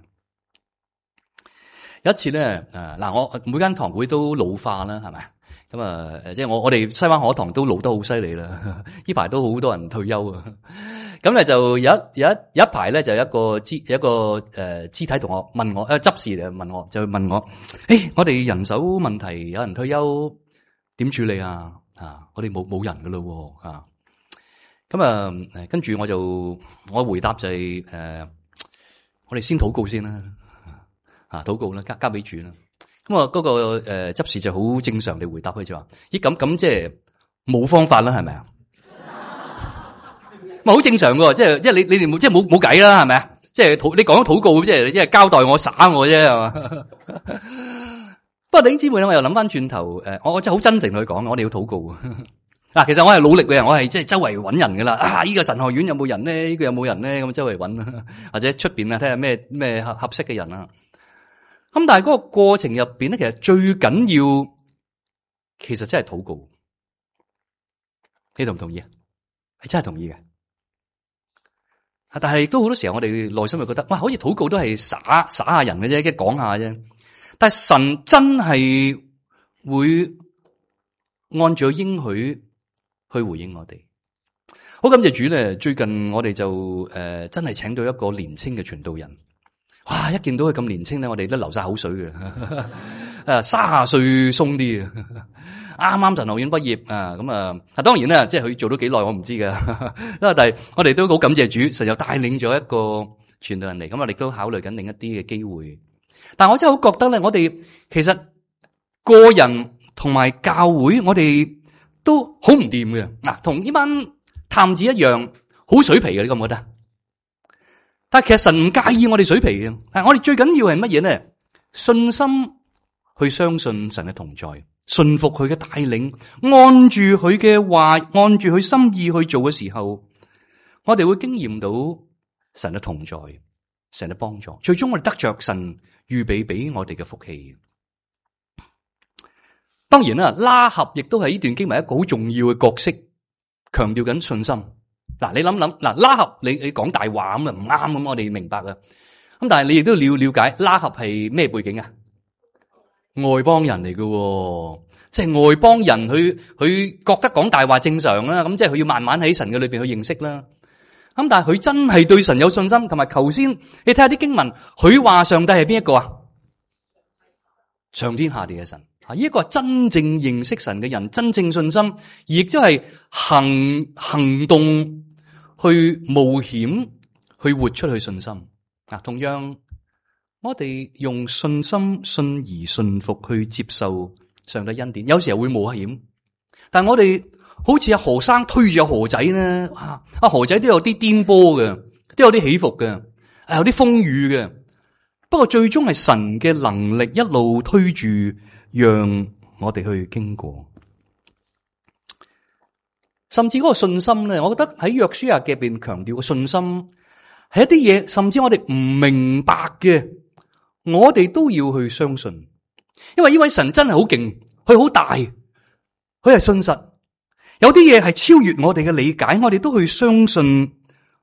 有一次咧，我每間堂會都老化啦，係咪？咁即係我哋西灣河堂都老得好犀利啦。呢排都好多人退休啊。咁咧就有一排咧，就有一個肢體同學問我，執事嚟問我，就問我，我哋人手問題，有人退休點處理啊？我哋冇人噶咯，咁跟住我回答就係我哋先禱告先啦，禱告啦，交俾主啦。咁嗰個執事就好正常地回答佢就話，咁即係冇方法啦，係咪啊？好正常嘅，即係你哋即係冇計啦，係咪啊？即係你講咗禱告，即係交代我耍我啫，係嘛？不過弟兄姊妹咧，我又諗翻轉頭，我真係好真誠去講，我哋要禱告。其實我係努力嘅人，我係即係周圍揾人噶啦。呢個神學院有冇人咧？呢個有冇人咧？咁周圍揾，或者出邊睇下咩合適嘅人啊。咁但係嗰個過程入邊咧，其實最緊要，其實真係禱告。你同唔同意啊？係真係同意嘅。但係都好多時候，我哋內心就覺得，哇，好似禱告都係耍下人嘅啫，即係講下啫。但係神真係會按照應許去回應我哋。好感謝主咧，最近我哋就真係請到一個年輕嘅傳道人。哇！一見到佢咁年輕咧，我哋都流晒口水嘅。30歲鬆啲啊，啱啱神學院畢業啊，咁當然啦，即係佢做咗幾耐我唔知噶。但係我哋都好感謝主，神又帶領咗一個傳道人嚟，咁我哋都考慮緊另一啲嘅機會。但係我真係好覺得咧，我哋其實個人同埋教會，我哋都好唔掂嘅。同呢班探子一樣，好水皮嘅，你覺唔覺得？但係其實神唔介意我哋水皮嘅，我哋最緊要係乜嘢咧？信心去相信神嘅同在，信服佢嘅帶領，按住佢嘅話，按住佢心意去做嘅時候，我哋會經驗到神嘅同在，神嘅幫助，最終我哋得着神預備俾我哋嘅福氣。當然啦，拉合亦都係呢段經文一個好重要嘅角色，強調緊信心。嗱，你諗諗，嗱，拉合你講大話咁啊唔啱咁，我哋明白啊。咁但係你亦都了解拉合係咩背景啊？外邦人嚟嘅，即係外邦人，佢覺得講大話正常啦。咁即係佢要慢慢喺神嘅裏邊去認識啦。咁但係佢真係對神有信心，同埋頭先你睇下啲經文，佢話上帝係邊一個啊？上天下地嘅神啊！呢一個係真正認識神嘅人，真正信心，亦都係行動去冒險去活出去信心啊！同樣，我哋用信心信而信服去接受上帝恩典，有時候會冒險，但係我哋好似阿何生推住阿何仔咧，阿何仔都有啲顛簸嘅，都有啲起伏嘅，有啲風雨嘅。不過最終係神嘅能力一路推住，讓我哋去經過。甚至嗰個信心咧，我覺得喺約書亞嘅入邊強調嘅信心係一啲嘢，甚至我哋唔明白嘅，我哋都要去相信，因為呢位神真係好勁，佢好大，佢係信實。有啲嘢係超越我哋嘅理解，我哋都去相信，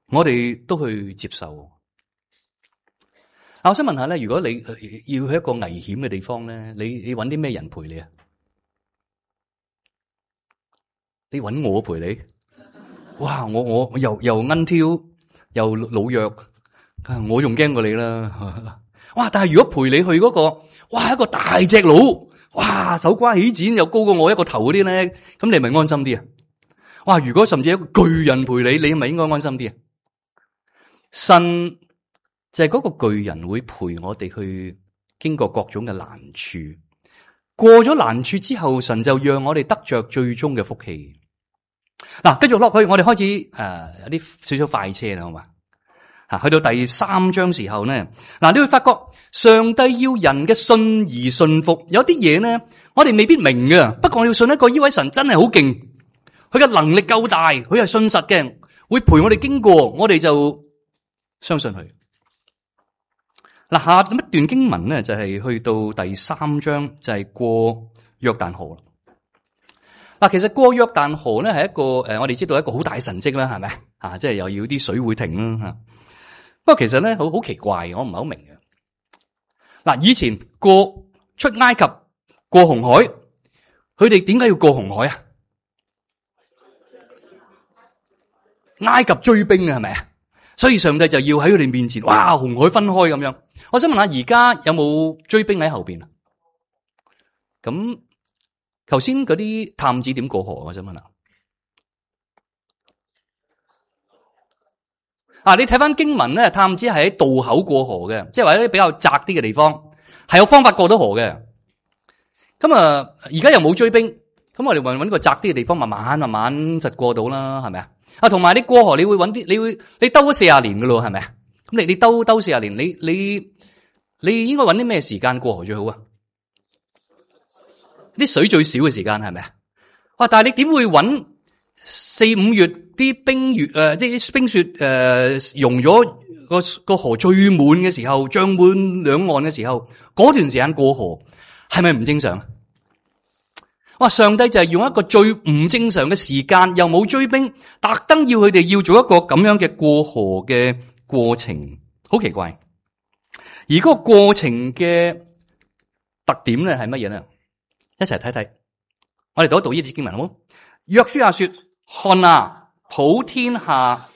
我哋都去接受。我想問下咧，如果你要去一個危險嘅地方咧，你揾啲咩人陪你啊？你揾我陪你？哇！我又奀挑又老弱，我仲驚過你啦！哇！但係如果陪你去嗰個，哇，一個大隻佬，哇，手瓜起剪又高過我一個頭嗰啲咧，咁你係咪安心啲啊？哇！如果甚至一個巨人陪你，你係咪應該安心啲啊？神就係嗰個巨人會陪我哋去經過各種嘅難處，過咗難處之後，神就讓我哋得着最終嘅福氣。嗱，繼續落去，我哋開始有啲少少快車啦，好嘛？去到第3章時候咧，嗱，你會發覺上帝要人嘅信而信服，有啲嘢咧，我哋未必明嘅，不過我要信一個呢位神真係好勁，佢嘅能力夠大，佢係信實嘅，會陪我哋經過，我哋就相信佢。嗱，下一段經文咧就係去到第3章，就係過約旦河啦。嗱，其實過約旦河咧係一個我哋知道一個好大神蹟啦，係咪啊？即係又要啲水會停啦吓。不過其實咧好奇怪，我唔係好明嘅。嗱，以前過出埃及過紅海，佢哋點解要過紅海啊？埃及追兵啊，係咪啊？所以上帝就要喺佢哋面前，哇，紅海分開咁樣。我想問下，而家有冇追兵喺後邊啊？咁頭先嗰啲探子點過河？我想問下。你睇翻經文咧，探子係喺渡口過河嘅，即係話一啲比較窄啲嘅地方，係有方法過到河嘅。咁而家又冇追兵，咁我哋搵個窄啲嘅地方，慢慢就過到啦，係咪啊？同埋你過河，你會搵啲，你兜咗40年噶咯，係咪啊？咁你兜40年，你應該搵啲咩時間過河最好啊？啲水最少嘅時間係咪啊？哇！但係你點會搵4、5月啲冰月即係啲冰雪融咗個河最滿嘅時候，漲滿兩岸嘅時候，嗰段時間過河係咪唔正常？哇！上帝就係用一個最唔正常嘅時間，又冇追兵，特登要佢哋要做一個咁樣嘅過河嘅過程，好奇怪。而嗰個過程嘅特點咧係乜嘢咧？一齊睇睇。我哋讀一讀呢節經文好冇？約書亞說：看啊，普天下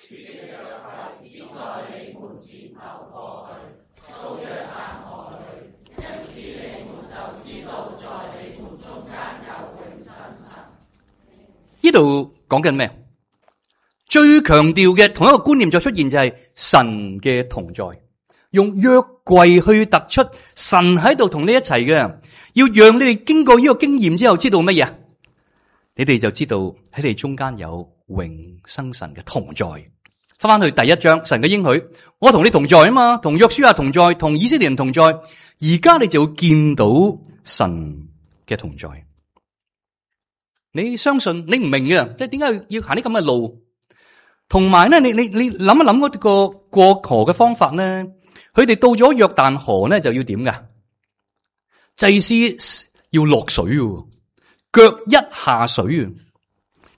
呢度講緊咩？最強調嘅同一個觀念就出現就係神嘅同在，用約櫃去突出神喺度同你一齊嘅，要讓你哋經過呢個經驗之後知道乜嘢？你哋就知道喺你中間有永生神嘅同在。翻去第1章，神嘅應許，我同你同在啊嘛，同約書亞同在，同以色列人同在。而家你就會見到神嘅同在。你相信你唔明嘅，即係點解要行啲咁嘅路？同埋咧，你諗一諗嗰個過河嘅方法咧，佢哋到咗約旦河咧就要點噶？祭司要落水嘅，腳一下水啊，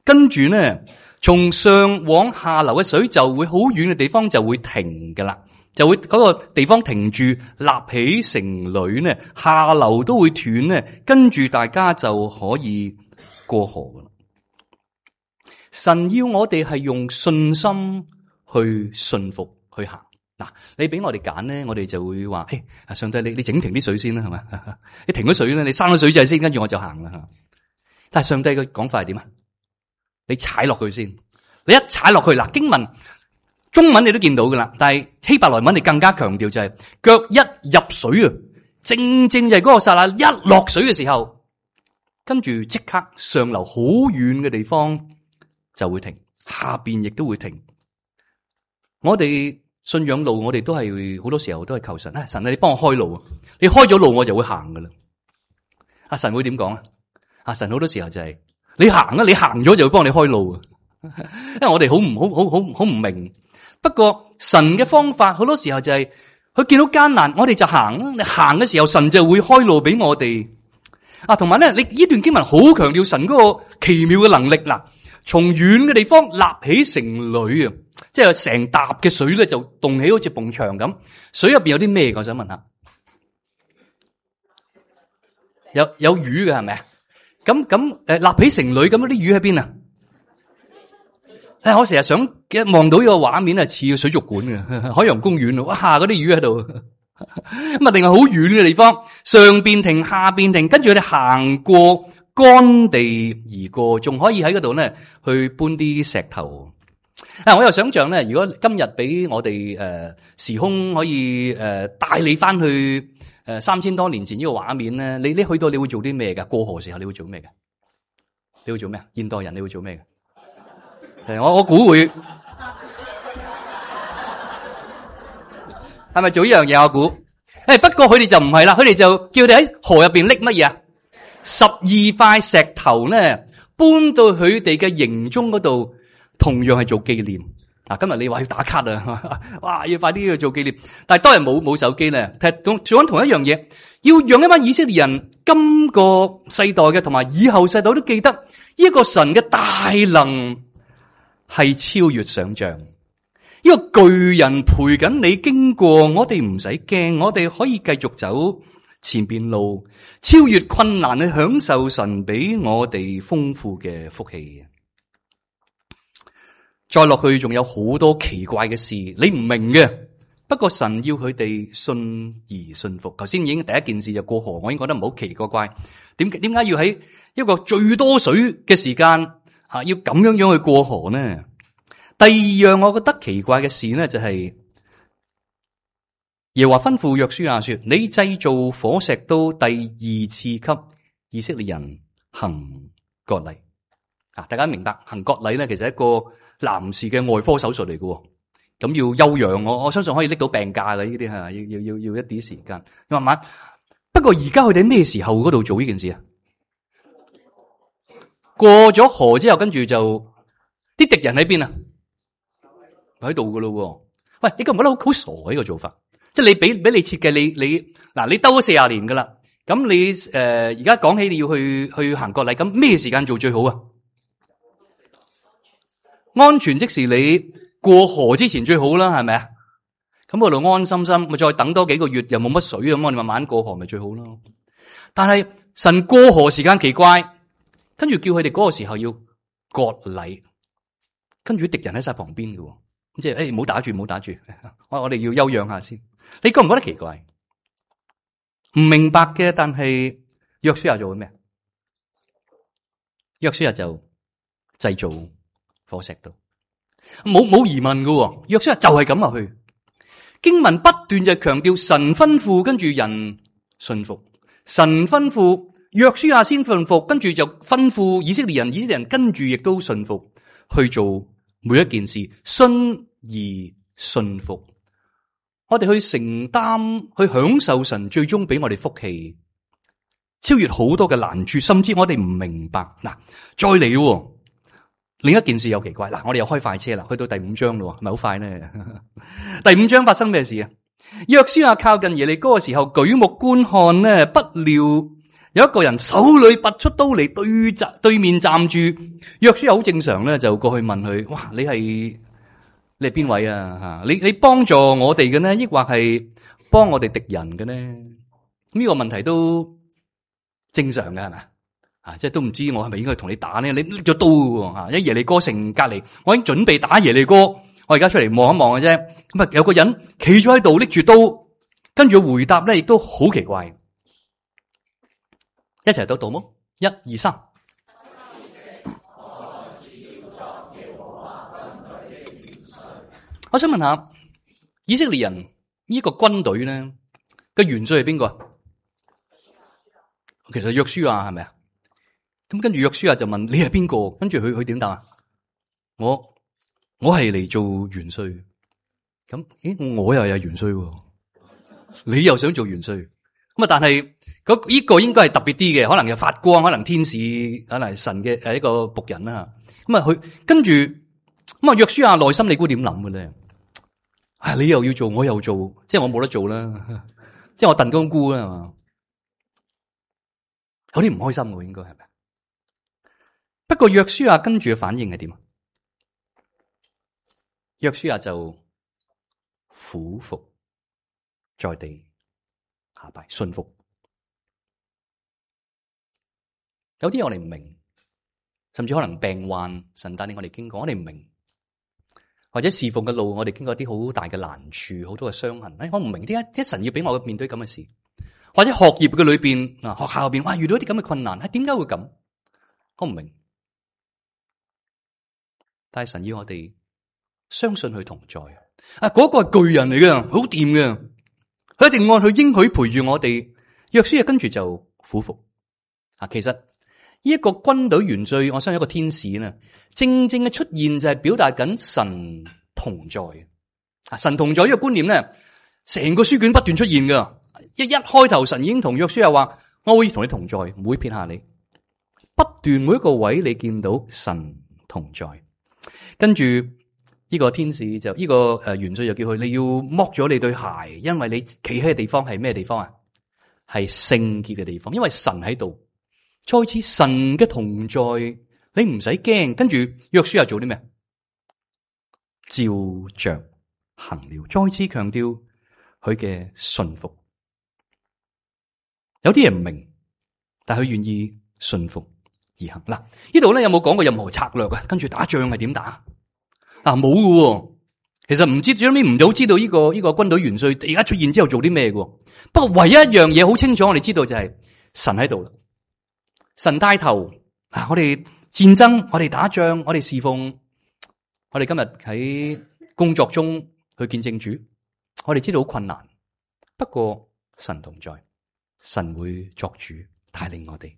跟住呢，從上往下流嘅水就會好遠嘅地方就會停噶啦，就會嗰個地方停住，立起成壘呢，下流都會斷呢，跟住大家就可以過河噶啦。神要我哋係用信心去信服去行。嗱，你俾我哋揀咧，我哋就會話：誒，上帝，你整停啲水先啦，係咪？你停咗水咧，你閂咗水掣先，跟住我就行啦。但係上帝嘅講法係點啊？你踩落去先，你一踩落去嗱，經文中文你都見到噶啦，但係希伯來文你更加強調就係腳一入水啊，正正就係嗰個剎那一落水嘅時候，跟住即刻上流好遠嘅地方就會停，下邊亦都會停。我哋信仰路，我哋都係好多時候都係求神，神啊，你幫我開路啊！你開咗路，我就會行噶啦。阿神會點講啊？阿神好多時候就係你行啊，你行咗就會幫你開路啊。因為我哋好唔明。不過神嘅方法好多時候就係佢見到艱難，我哋就行啊。你行嘅時候，神就會開路俾我哋。啊，同埋咧，你呢段經文好強調神嗰個奇妙嘅能力嗱，從遠嘅地方立起成壘啊！即係成沓嘅水咧，就動起好似埲牆咁。水入邊有啲咩？我想問下，有魚嘅係咪啊？咁立起成壘咁，啲魚喺邊啊？我成日想一望到呢個畫面係似個水族館嘅海洋公園，哇！嗰啲魚喺度，咁啊，定係好遠嘅地方，上邊停，下邊停，跟住佢哋行過乾地而過，仲可以喺嗰度咧去搬啲石頭。我又想象咧，如果今日俾我哋時空可以帶你翻去3000多年前呢個畫面咧，你去到你會做啲咩噶？過河時候你會做咩嘅？你會做咩啊？現代人你會做咩嘅？我估會係咪做呢樣嘢？我估不過佢哋就唔係啦，佢哋就叫佢哋喺河入邊拎乜嘢啊？12塊石頭咧搬到佢哋嘅營中嗰度。同樣係做紀念。今日你話要打卡啊，哇，要快啲去做紀念。但係當日冇手機咧，做緊同一樣嘢，要讓一班以色列人今個世代嘅同埋以後世代都記得呢個神嘅大能係超越想象。呢個巨人陪緊你經過，我哋唔使驚，我哋可以繼續走前邊路，超越困難去享受神俾我哋豐富嘅福氣。再落去仲有好多奇怪嘅事，你唔明嘅。不過神要佢哋信而信服。頭先已經第一件事就過河，我已經覺得唔好奇怪。點解要喺一個最多水嘅時間要咁樣去過河呢？第二樣我覺得奇怪嘅事呢，就係耶和華吩咐約書亞說：你製造火石刀，第二次給以色列人行割禮。大家明白行割禮呢，其實係一個男士嘅外科手術嚟嘅，咁要休養，我相信可以拎到病假嘅呢啲吓，要一啲時間慢慢。不過而家佢哋咩時候嗰度做呢件事啊？過咗河之後，跟住就啲敵人喺邊啊？喺度噶咯。喂，你覺唔覺得好傻呢個做法？即係你俾你設計，你兜咗40年噶啦，咁你而家講起你要去行割禮，咁咩時間做最好啊？安全即時你過河之前最好啦，係咪啊？咁我度安心心，咪再等多幾個月又冇乜水咁，我哋慢慢過河咪最好咯。但係神過河時間奇怪，跟住叫佢哋嗰個時候要割禮，跟住敵人喺晒旁邊嘅，即係唔好打住，唔好打住，我哋要休養下先。你覺唔覺得奇怪？唔明白嘅，但係約書亞做緊咩？約書亞就製造火石刀，冇疑問嘅。約書亞就係咁落去。經文不斷就強調神吩咐，跟住人信服。神吩咐約書亞先信服，跟住就吩咐以色列人，以色列人跟住亦都信服去做每一件事，信而信服。我哋去承擔，去享受神最終俾我哋福氣，超越好多嘅難處，甚至我哋唔明白。嗱，再嚟。另一件事又奇怪，我哋又開快車啦，去到第5章咯，咪好快呢？第5章發生咩事啊？約書亞靠近耶利哥嘅時候，舉目觀看呢，不料有一個人手裏拔出刀嚟對面站住，約書亞好正常咧，就過去問佢：哇，你係邊位啊？吓，你幫助我哋嘅呢，抑或係幫我哋敵人嘅呢？呢個問題都正常嘅係咪？即係都唔知我係咪應該同你打呢？你拎咗刀喎，喺耶利哥城隔籬，我已經準備打耶利哥，我而家出嚟望一望嘅啫。咁啊，有個人企咗喺度拎住刀，跟住回答咧，亦都好奇怪。一齊讀冇？1、2、3。我想問下以色列人呢個軍隊咧嘅元帥係邊個？其實約書亞係咪啊？咁跟住約書亞就問你係邊個？跟住佢點答啊？我係嚟做元帥。咁我又有元帥，你又想做元帥？咁啊，但係呢個應該係特別啲嘅，可能係發光，可能天使，可能係神嘅一個僕人啦。咁啊，佢跟住咁啊，約書亞內心你估點諗嘅咧？你又要做，我又做，即係我冇得做啦，即係我燉冬菇啦，係嘛？有啲唔開心嘅，應該係咪？不過約書亞跟住嘅反應係點啊？約書亞就俯伏在地下拜，順服。有啲我哋唔明，甚至可能病患，神帶領我哋經過，我哋唔明。或者侍奉嘅路，我哋經過啲好大嘅難處，好多嘅傷痕。我唔明點解神要俾我面對咁嘅事？或者學業嘅裏邊，學校入邊，遇到啲咁嘅困難，點解會咁？我唔明。但係神要我哋相信佢同在。嗰個係巨人嚟嘅，好掂嘅，佢一定按佢應許陪住我哋。約書亞跟住就俯伏。其實呢一個軍隊元帥，我相信一個天使呢，正正嘅出現就係表達緊神同在。神同在呢個觀念咧，成個書卷不斷出現噶。一開頭神已經同約書亞話：我會同你同在，唔會撇下你。不斷每一個位你見到神同在。跟住呢個天使就呢個元帥就叫佢：你要剝咗你對鞋，因為你企喺嘅地方係咩地方啊？係聖潔嘅地方，因為神喺度。再次神嘅同在，你唔使驚。跟住約書亞做啲咩？照着行了。再次強調佢嘅順服。有啲人唔明，但係佢願意順服而行。嗱，呢度咧有冇講過任何策略啊？跟住打仗係點打？冇嘅。其實唔知，最尾唔好知道呢個軍隊元帥而家出現之後做啲咩嘅。不過唯一一樣嘢好清楚，我哋知道就係神喺度啦。神帶頭，我哋戰爭，我哋打仗，我哋侍奉，我哋今日喺工作中去見證主，我哋知道好困難，不過神同在，神會作主帶領我哋。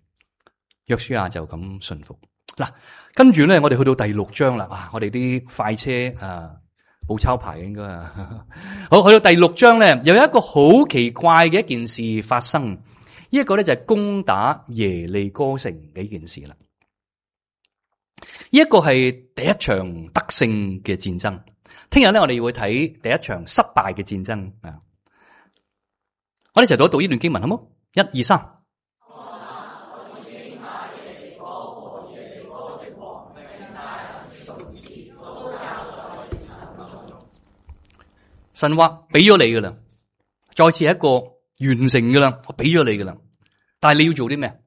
約書亞就咁順服。嗱，跟住咧，我哋去到第6章啦。我哋啲快車冇抄牌嘅應該啊。好，去到第6章咧，又有一個好奇怪嘅一件事發生。呢一個咧就係攻打耶利哥城嘅一件事啦。呢一個係第一場得勝嘅戰爭。聽日咧我哋會睇第一場失敗嘅戰爭啊。我哋一齊讀一讀呢段經文好冇？1、2、3。神話俾咗你噶啦，再次係一個完成噶啦，我俾咗你噶啦，但係你要做啲咩？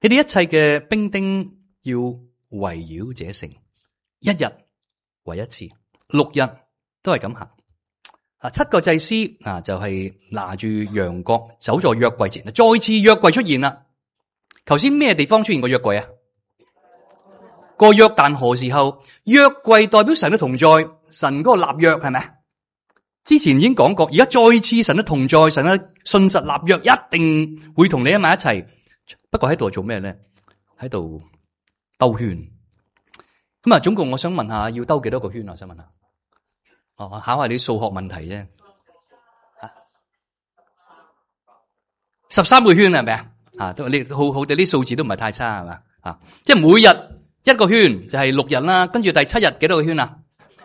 你哋一切嘅兵丁要圍繞這城，1日為一次，6日都係咁行。7個祭司就係拿住羊角走在約櫃前，再次約櫃出現啦。頭先咩地方出現過約櫃啊？個約旦河時候，約櫃代表神嘅同在，神嗰個立約係咪？之前已經講過，而家再次神嘅同在，神嘅信實立約，一定會同你喺埋一齊。不過喺度做咩咧？喺度兜圈。咁啊，總共我想問下，要兜幾多個圈啊？我想問下。考下你數學問題啫。13個圈係咪啊？都你好哋啲數字都唔係太差係嘛？即係每日一個圈就係6日啦，跟住第7日幾多個圈啊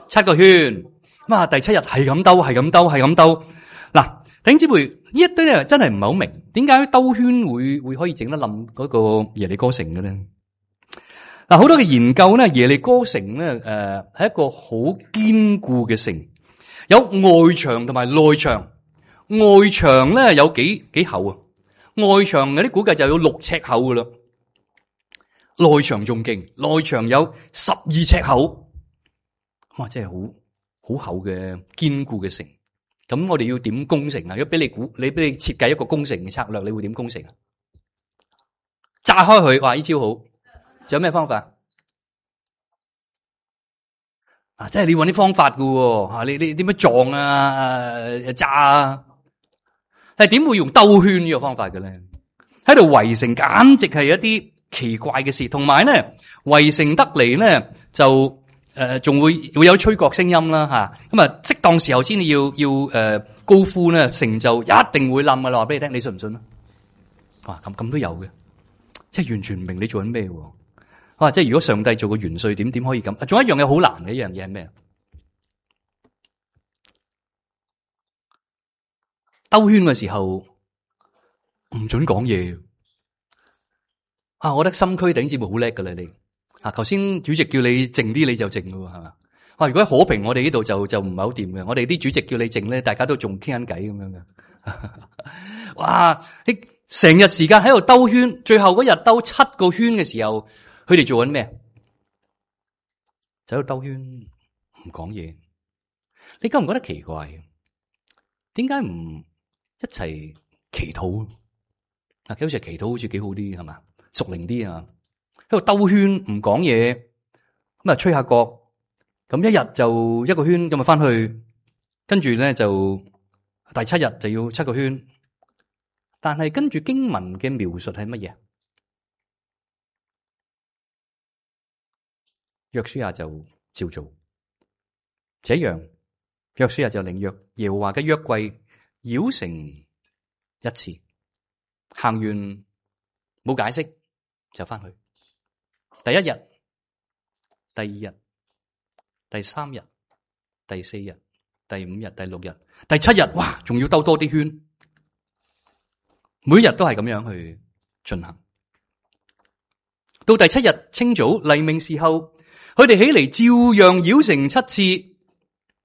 ？7個圈。咁啊，第7日係咁兜，係咁兜，係咁兜。嗱，弟兄姊妹，呢一堆咧真係唔係好明，點解兜圈會可以整得冧嗰個耶利哥城嘅咧？嗱，好多嘅研究咧，耶利哥城咧，係一個好堅固嘅城，有外牆同埋內牆。外牆咧有幾厚啊？外牆有啲估計就有6尺厚噶啦，內牆仲勁，內牆有12尺厚，哇！真係好厚嘅堅固嘅城。咁我哋要點攻城啊？如果俾你設計一個攻城嘅策略，你會點攻城啊？炸開佢，哇！呢招好。仲有咩方法？啊，即係你要搵啲方法噶喎。你點樣撞啊？炸啊？係點會用兜圈呢個方法嘅咧？喺度圍城，簡直係一啲奇怪嘅事。同埋咧，圍城得嚟咧就。仲會有吹角聲音啦吓，咁啊適當時候先要高呼咧，成就一定會冧噶啦，話俾你聽，你信唔信啊？哇，咁都有嘅，即係完全唔明你做緊咩喎？哇，即係如果上帝做個元帥點可以咁？仲有一樣嘢好難嘅一樣嘢係咩？兜圈嘅時候唔准講嘢啊！我覺得心區頂節目好叻噶啦你。啊！頭先主席叫你靜啲，你就靜咯，係嘛？哇！如果喺可平，我哋呢度就唔係好掂嘅。我哋啲主席叫你靜咧，大家都仲傾緊偈咁樣嘅。哇！你成日時間喺度兜圈，最後嗰日兜7個圈嘅時候，佢哋做緊咩？就喺度兜圈唔講嘢。你覺唔覺得奇怪？點解唔一齊祈禱？啊，好似祈禱好似幾好啲，係嘛？屬靈啲啊！喺度兜圈唔講嘢，咁啊吹下角，咁一日就1個圈，咁啊翻去，跟住咧就第7日就要7個圈。但係跟住經文嘅描述係乜嘢？約書亞就照做，這樣約書亞就領耶和華嘅約櫃繞城一次，行完冇解釋就翻去。第1日、第2日、第3日、第4日、第5日、第6日、第7日，哇！仲要兜多啲圈，每日都係咁樣去進行。到第7日清早黎明時候，佢哋起嚟照樣繞城7次。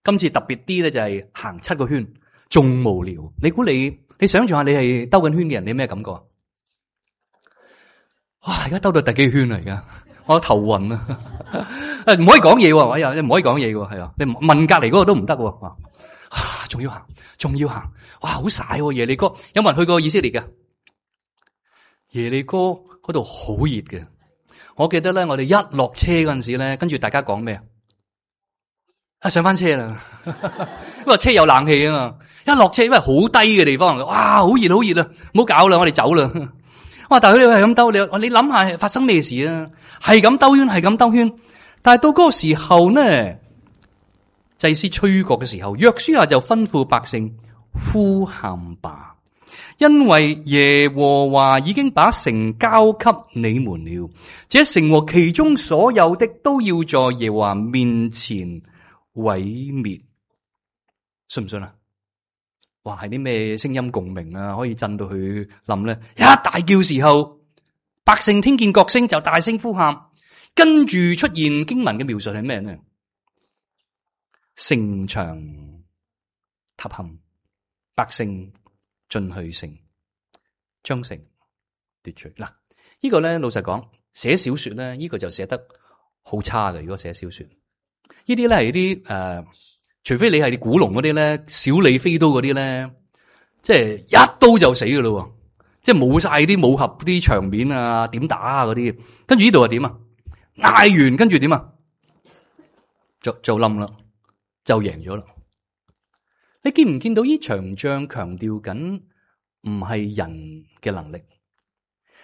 今次特別啲咧，就係行7個圈，仲無聊。你估你想象下，你係兜緊圈嘅人，你咩感覺啊？哇！而家兜到第幾圈啦？而家我頭暈啊！唔可以講嘢喎，你唔可以講嘢喎，係啊！你問隔籬嗰個都唔得喎。啊，仲要行，哇！好曬喎，耶利哥，有冇人去過以色列㗎？耶利哥嗰度好熱嘅。我記得咧，我哋一落車嗰陣時咧，跟住大家講咩啊？上翻車啦，因為車有冷氣啊嘛。一落車因為好低嘅地方，哇！好熱啊！唔好搞啦，我哋走啦。哇！但係佢哋係咁兜，你諗下發生咩事啊？係咁兜圈，但係到嗰個時候呢，祭司吹角嘅時候，約書亞就吩咐百姓呼喊吧，因為耶和華已經把城交給你們了，這城和其中所有的都要在耶和華面前毀滅。信唔信啊？哇！係啲咩聲音共鳴啊？可以震到佢冧咧？一大叫時候，百姓聽見角聲就大聲呼喊，跟住出現經文嘅描述係咩呢？城牆塌陷，百姓進去城，將城奪取。嗱，呢個咧老實講，寫小說咧，呢個就寫得好差嘅。如果寫小說，呢啲咧係啲除非你係古龍嗰啲咧，小李飛刀嗰啲咧，即係一刀就死噶咯，即係冇晒啲武俠啲場面啊，點打啊嗰啲。跟住呢度係點啊？嗌完跟住點啊？就冧啦，就贏咗啦。你見唔見到呢場仗強調緊唔係人嘅能力？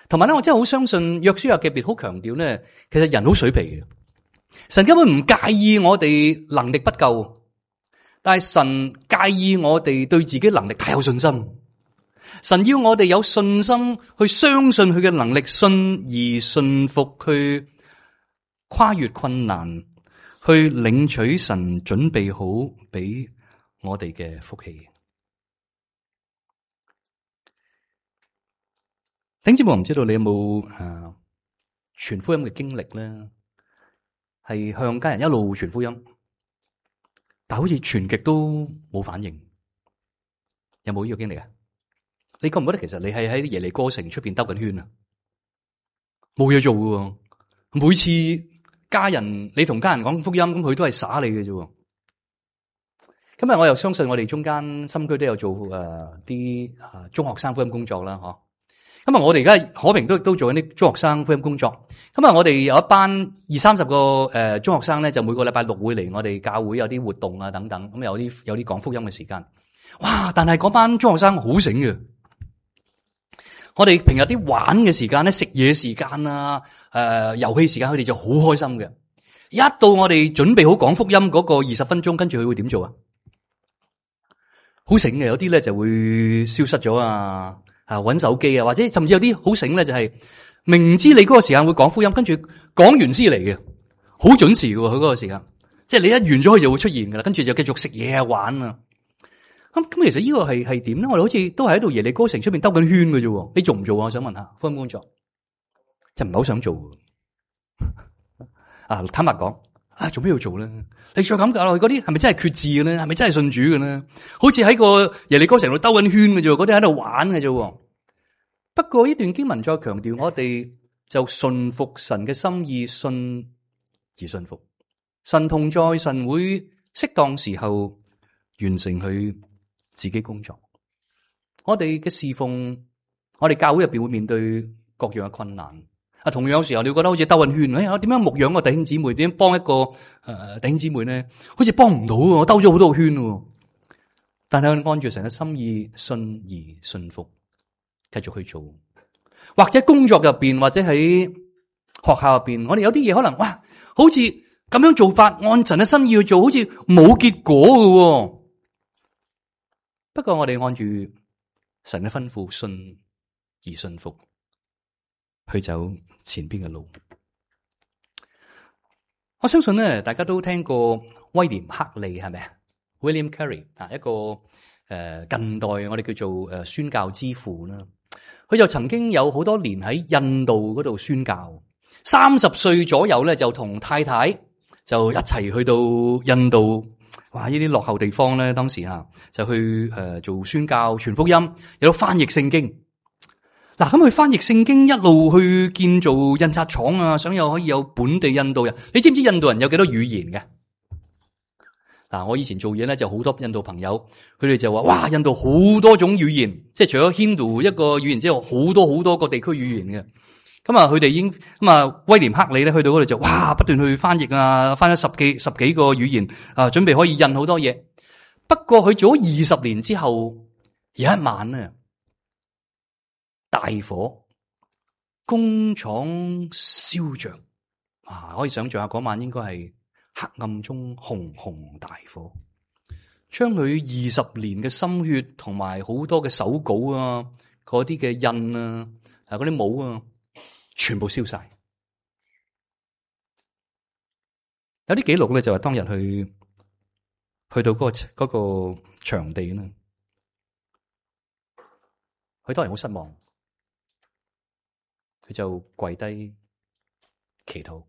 同埋咧，我真係好相信約書亞記別好強調咧，其實人好水皮嘅，神根本唔介意我哋能力不夠。但係神介意我哋對自己能力太有信心，神要我哋有信心去相信佢嘅能力，信而信服，去跨越困難，去領取神準備好俾我哋嘅福氣。弟兄姊妹，我唔知道你有冇傳福音嘅經歷咧？係向家人一路傳福音，但好似傳極都冇反應，有冇呢個經歷啊？你覺唔覺得其實你係喺耶利哥城出邊兜緊圈啊？冇嘢做嘅，每次家人你同家人講福音，咁佢都係耍你嘅啫。今日我又相信我哋中間深區都有做啲中學生福音工作啦，嗬。咁我哋而家可平都做緊啲中學生福音工作。咁我哋有一班20-30個中學生咧，就每個禮拜六會嚟我哋教會有啲活動啊等等。咁有啲講福音嘅時間。哇！但係嗰班中學生好醒嘅。我哋平日啲玩嘅時間咧，食嘢時間啊，遊戲時間，佢哋就好開心嘅。一到我哋準備好講福音嗰個20分鐘，跟住佢會點做啊？好醒嘅，有啲咧就會消失咗啊，搵手機啊，或者甚至有啲好醒咧，就係明知你嗰個時間會講福音，跟住講完先嚟嘅，好準時嘅佢嗰個時間，即係你一完咗佢就會出現噶啦，跟住就繼續食嘢啊玩啊。咁其實呢個係點咧？我哋好似都係喺度耶利哥城出邊兜緊圈嘅啫。你做唔做啊？我想問下福音工作，就唔係好想做啊。坦白講。做咩要做咧？你再咁搞落去，嗰啲係咪真係決志嘅咧？係咪真係信主嘅咧？好似喺個耶利哥城度兜緊圈嘅啫，嗰啲喺度玩嘅啫。不過呢段經文再強調，我哋就順服神嘅心意，信而信服。神同在，神會適當時候完成佢自己工作。我哋嘅侍奉，我哋教會入邊會面對各樣嘅困難。同樣有時候你會覺得好似兜緊圈，我點樣牧養個弟兄姊妹？點樣幫一個弟兄姊妹咧？好似幫唔到，我兜咗好多個圈。但係按住神嘅心意，信而信服，繼續去做。或者工作入邊，或者喺學校入邊，我哋有啲嘢可能好似咁樣做法，按神嘅心意去做，好似冇結果嘅。不過我哋按住神嘅吩咐，信而信服，去走前邊嘅路。我相信咧，大家都聽過威廉克利係咪啊 ？William Carey 一個近代我哋叫做宣教之父啦。佢就曾經有好多年喺印度嗰度宣教。30歲左右咧，就同太太就一齊去到印度。哇！呢啲落後地方咧，當時就去做宣教、傳福音，有得翻譯聖經。嗱，咁佢翻譯聖經一路去建造印刷廠啊，想可以有本地印度人。你知唔知印度人有幾多語言嘅？嗱，我以前做嘢咧就好多印度朋友，佢哋就話：哇，印度好多種語言，即係除咗 Hindu 一個語言之外，好多個地區語言嘅。咁佢哋已經威廉克利咧去到嗰度就不斷去翻譯啊，翻咗十幾個語言啊，準備可以印好多嘢。不過佢做咗20年之後，有一晚咧，大火，工廠燒着，可以想象下嗰晚應該係黑暗中熊熊大火，將佢20年嘅心血同埋好多嘅手稿啊，嗰啲嘅印啊，嗰啲帽啊，全部燒晒。有啲記錄咧就係當日去到嗰個場地啦，佢當然好失望。佢就跪低祈禱，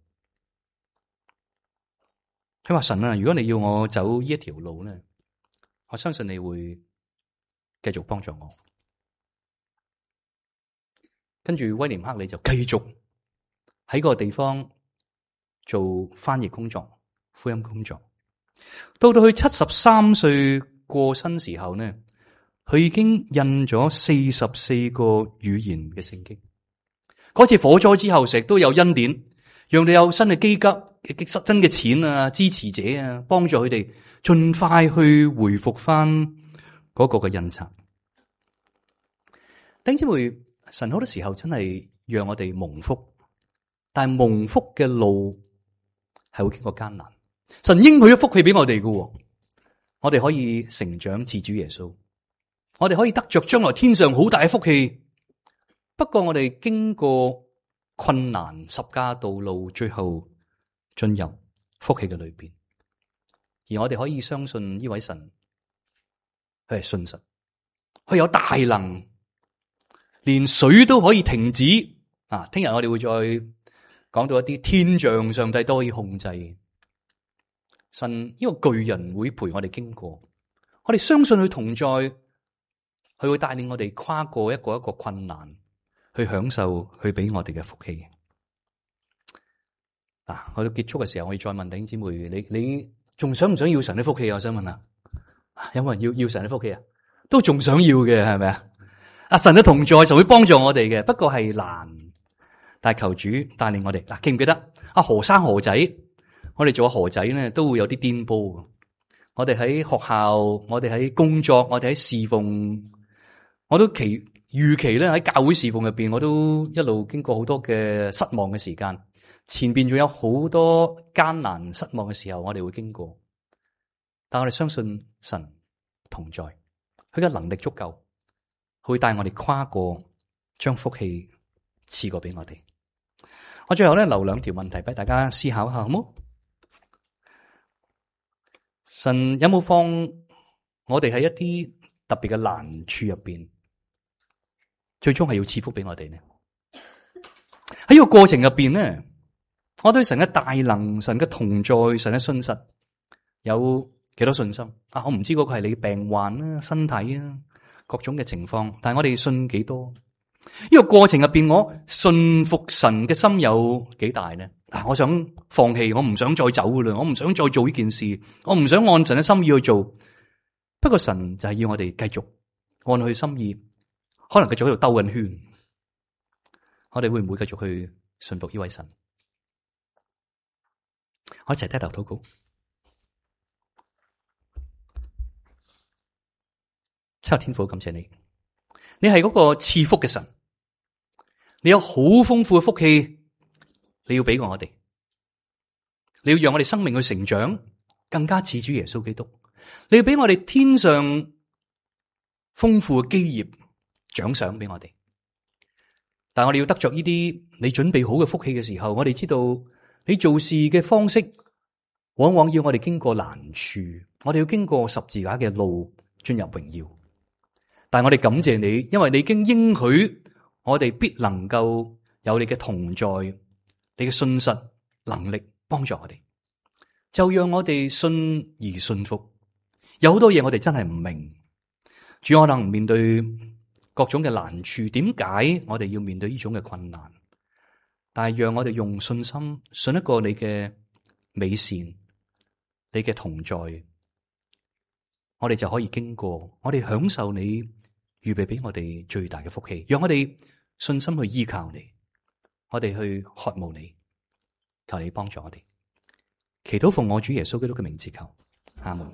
佢話：神啊，如果你要我走呢一條路咧，我相信你會繼續幫助我。跟住威廉克利就繼續喺個地方做翻譯工作、福音工作。到佢73歲過身時候呢，佢已經印咗44個語言嘅聖經。嗰次火災之後，成日都有恩典，讓你有新嘅基金、新嘅錢啊、支持者啊，幫助佢哋盡快去回復翻嗰個嘅印刷。弟兄姊妹，神好多時候真係讓我哋蒙福，但係蒙福嘅路係會經過艱難。神應許咗福氣俾我哋嘅，我哋可以成長似主耶穌，我哋可以得着將來天上好大嘅福氣。不過我哋經過困難十架道路，最後進入福氣嘅裏邊，而我哋可以相信呢位神，佢係信實，佢有大能，連水都可以停止啊！聽日我哋會再講到一啲天象，上帝都可以控制。神呢個巨人會陪我哋經過，我哋相信佢同在，佢會帶領我哋跨過一個困難，去享受佢俾我哋嘅福氣。嗱，去到結束嘅時候，我要再問弟兄姊妹，你仲想唔想要神嘅福氣？我想問下，有冇人要神嘅福氣啊？都仲想要嘅係咪啊？阿神嘅同在就會幫助我哋嘅，不過係難。但係求主帶領我哋。嗱，記唔記得阿何生何仔？我哋做何仔咧，都會有啲顛簸。我哋喺學校，我哋喺工作，我哋喺侍奉，我都預期咧喺教會侍奉入邊，我都一路經過好多嘅失望嘅時間。前邊仲有好多艱難失望嘅時候，我哋會經過。但我哋相信神同在，佢嘅能力足夠，佢會帶我哋跨過，將福氣賜過俾我哋。我最後咧留兩條問題俾大家思考下，好冇？神有冇放我哋喺一啲特別嘅難處入邊，最終係要賜福俾我哋呢？喺呢個過程入邊呢，我對神嘅大能、神嘅同在、神嘅信實有幾多信心啊？我唔知嗰個係你病患啦、身體啊、各種嘅情況，但係我哋信幾多？呢個過程入邊，我信服神嘅心有幾大呢？我想放棄，我唔想再走噶啦，我唔想再做呢件事，我唔想按神嘅心意去做。不過神就係要我哋繼續按佢心意，可能繼續喺度兜緊圈。我哋會唔會繼續去信服呢位神？我一齊低頭禱告。七日天父，感謝你，你係嗰個賜福嘅神，你有好豐富嘅福氣。你要俾我哋，你要讓我哋生命去成長，更加似主耶穌基督。你要俾我哋天上豐富嘅基業獎賞俾我哋。但係我哋要得着呢啲你準備好嘅福氣嘅時候，我哋知道你做事嘅方式往往要我哋經過難處，我哋要經過十字架嘅路進入榮耀。但係我哋感謝你，因為你已經應許我哋必能夠有你嘅同在。你嘅信實能力幫助我哋，就讓我哋信而信服。有好多嘢我哋真係唔明，主可能面對各種嘅難處，點解我哋要面對呢種嘅困難？但係讓我哋用信心信一個你嘅美善，你嘅同在，我哋就可以經過，我哋享受你預備俾我哋最大嘅福氣。讓我哋信心去依靠你。我哋去渴慕你，求你幫助我哋。祈禱奉我主耶穌基督嘅名字求，阿門。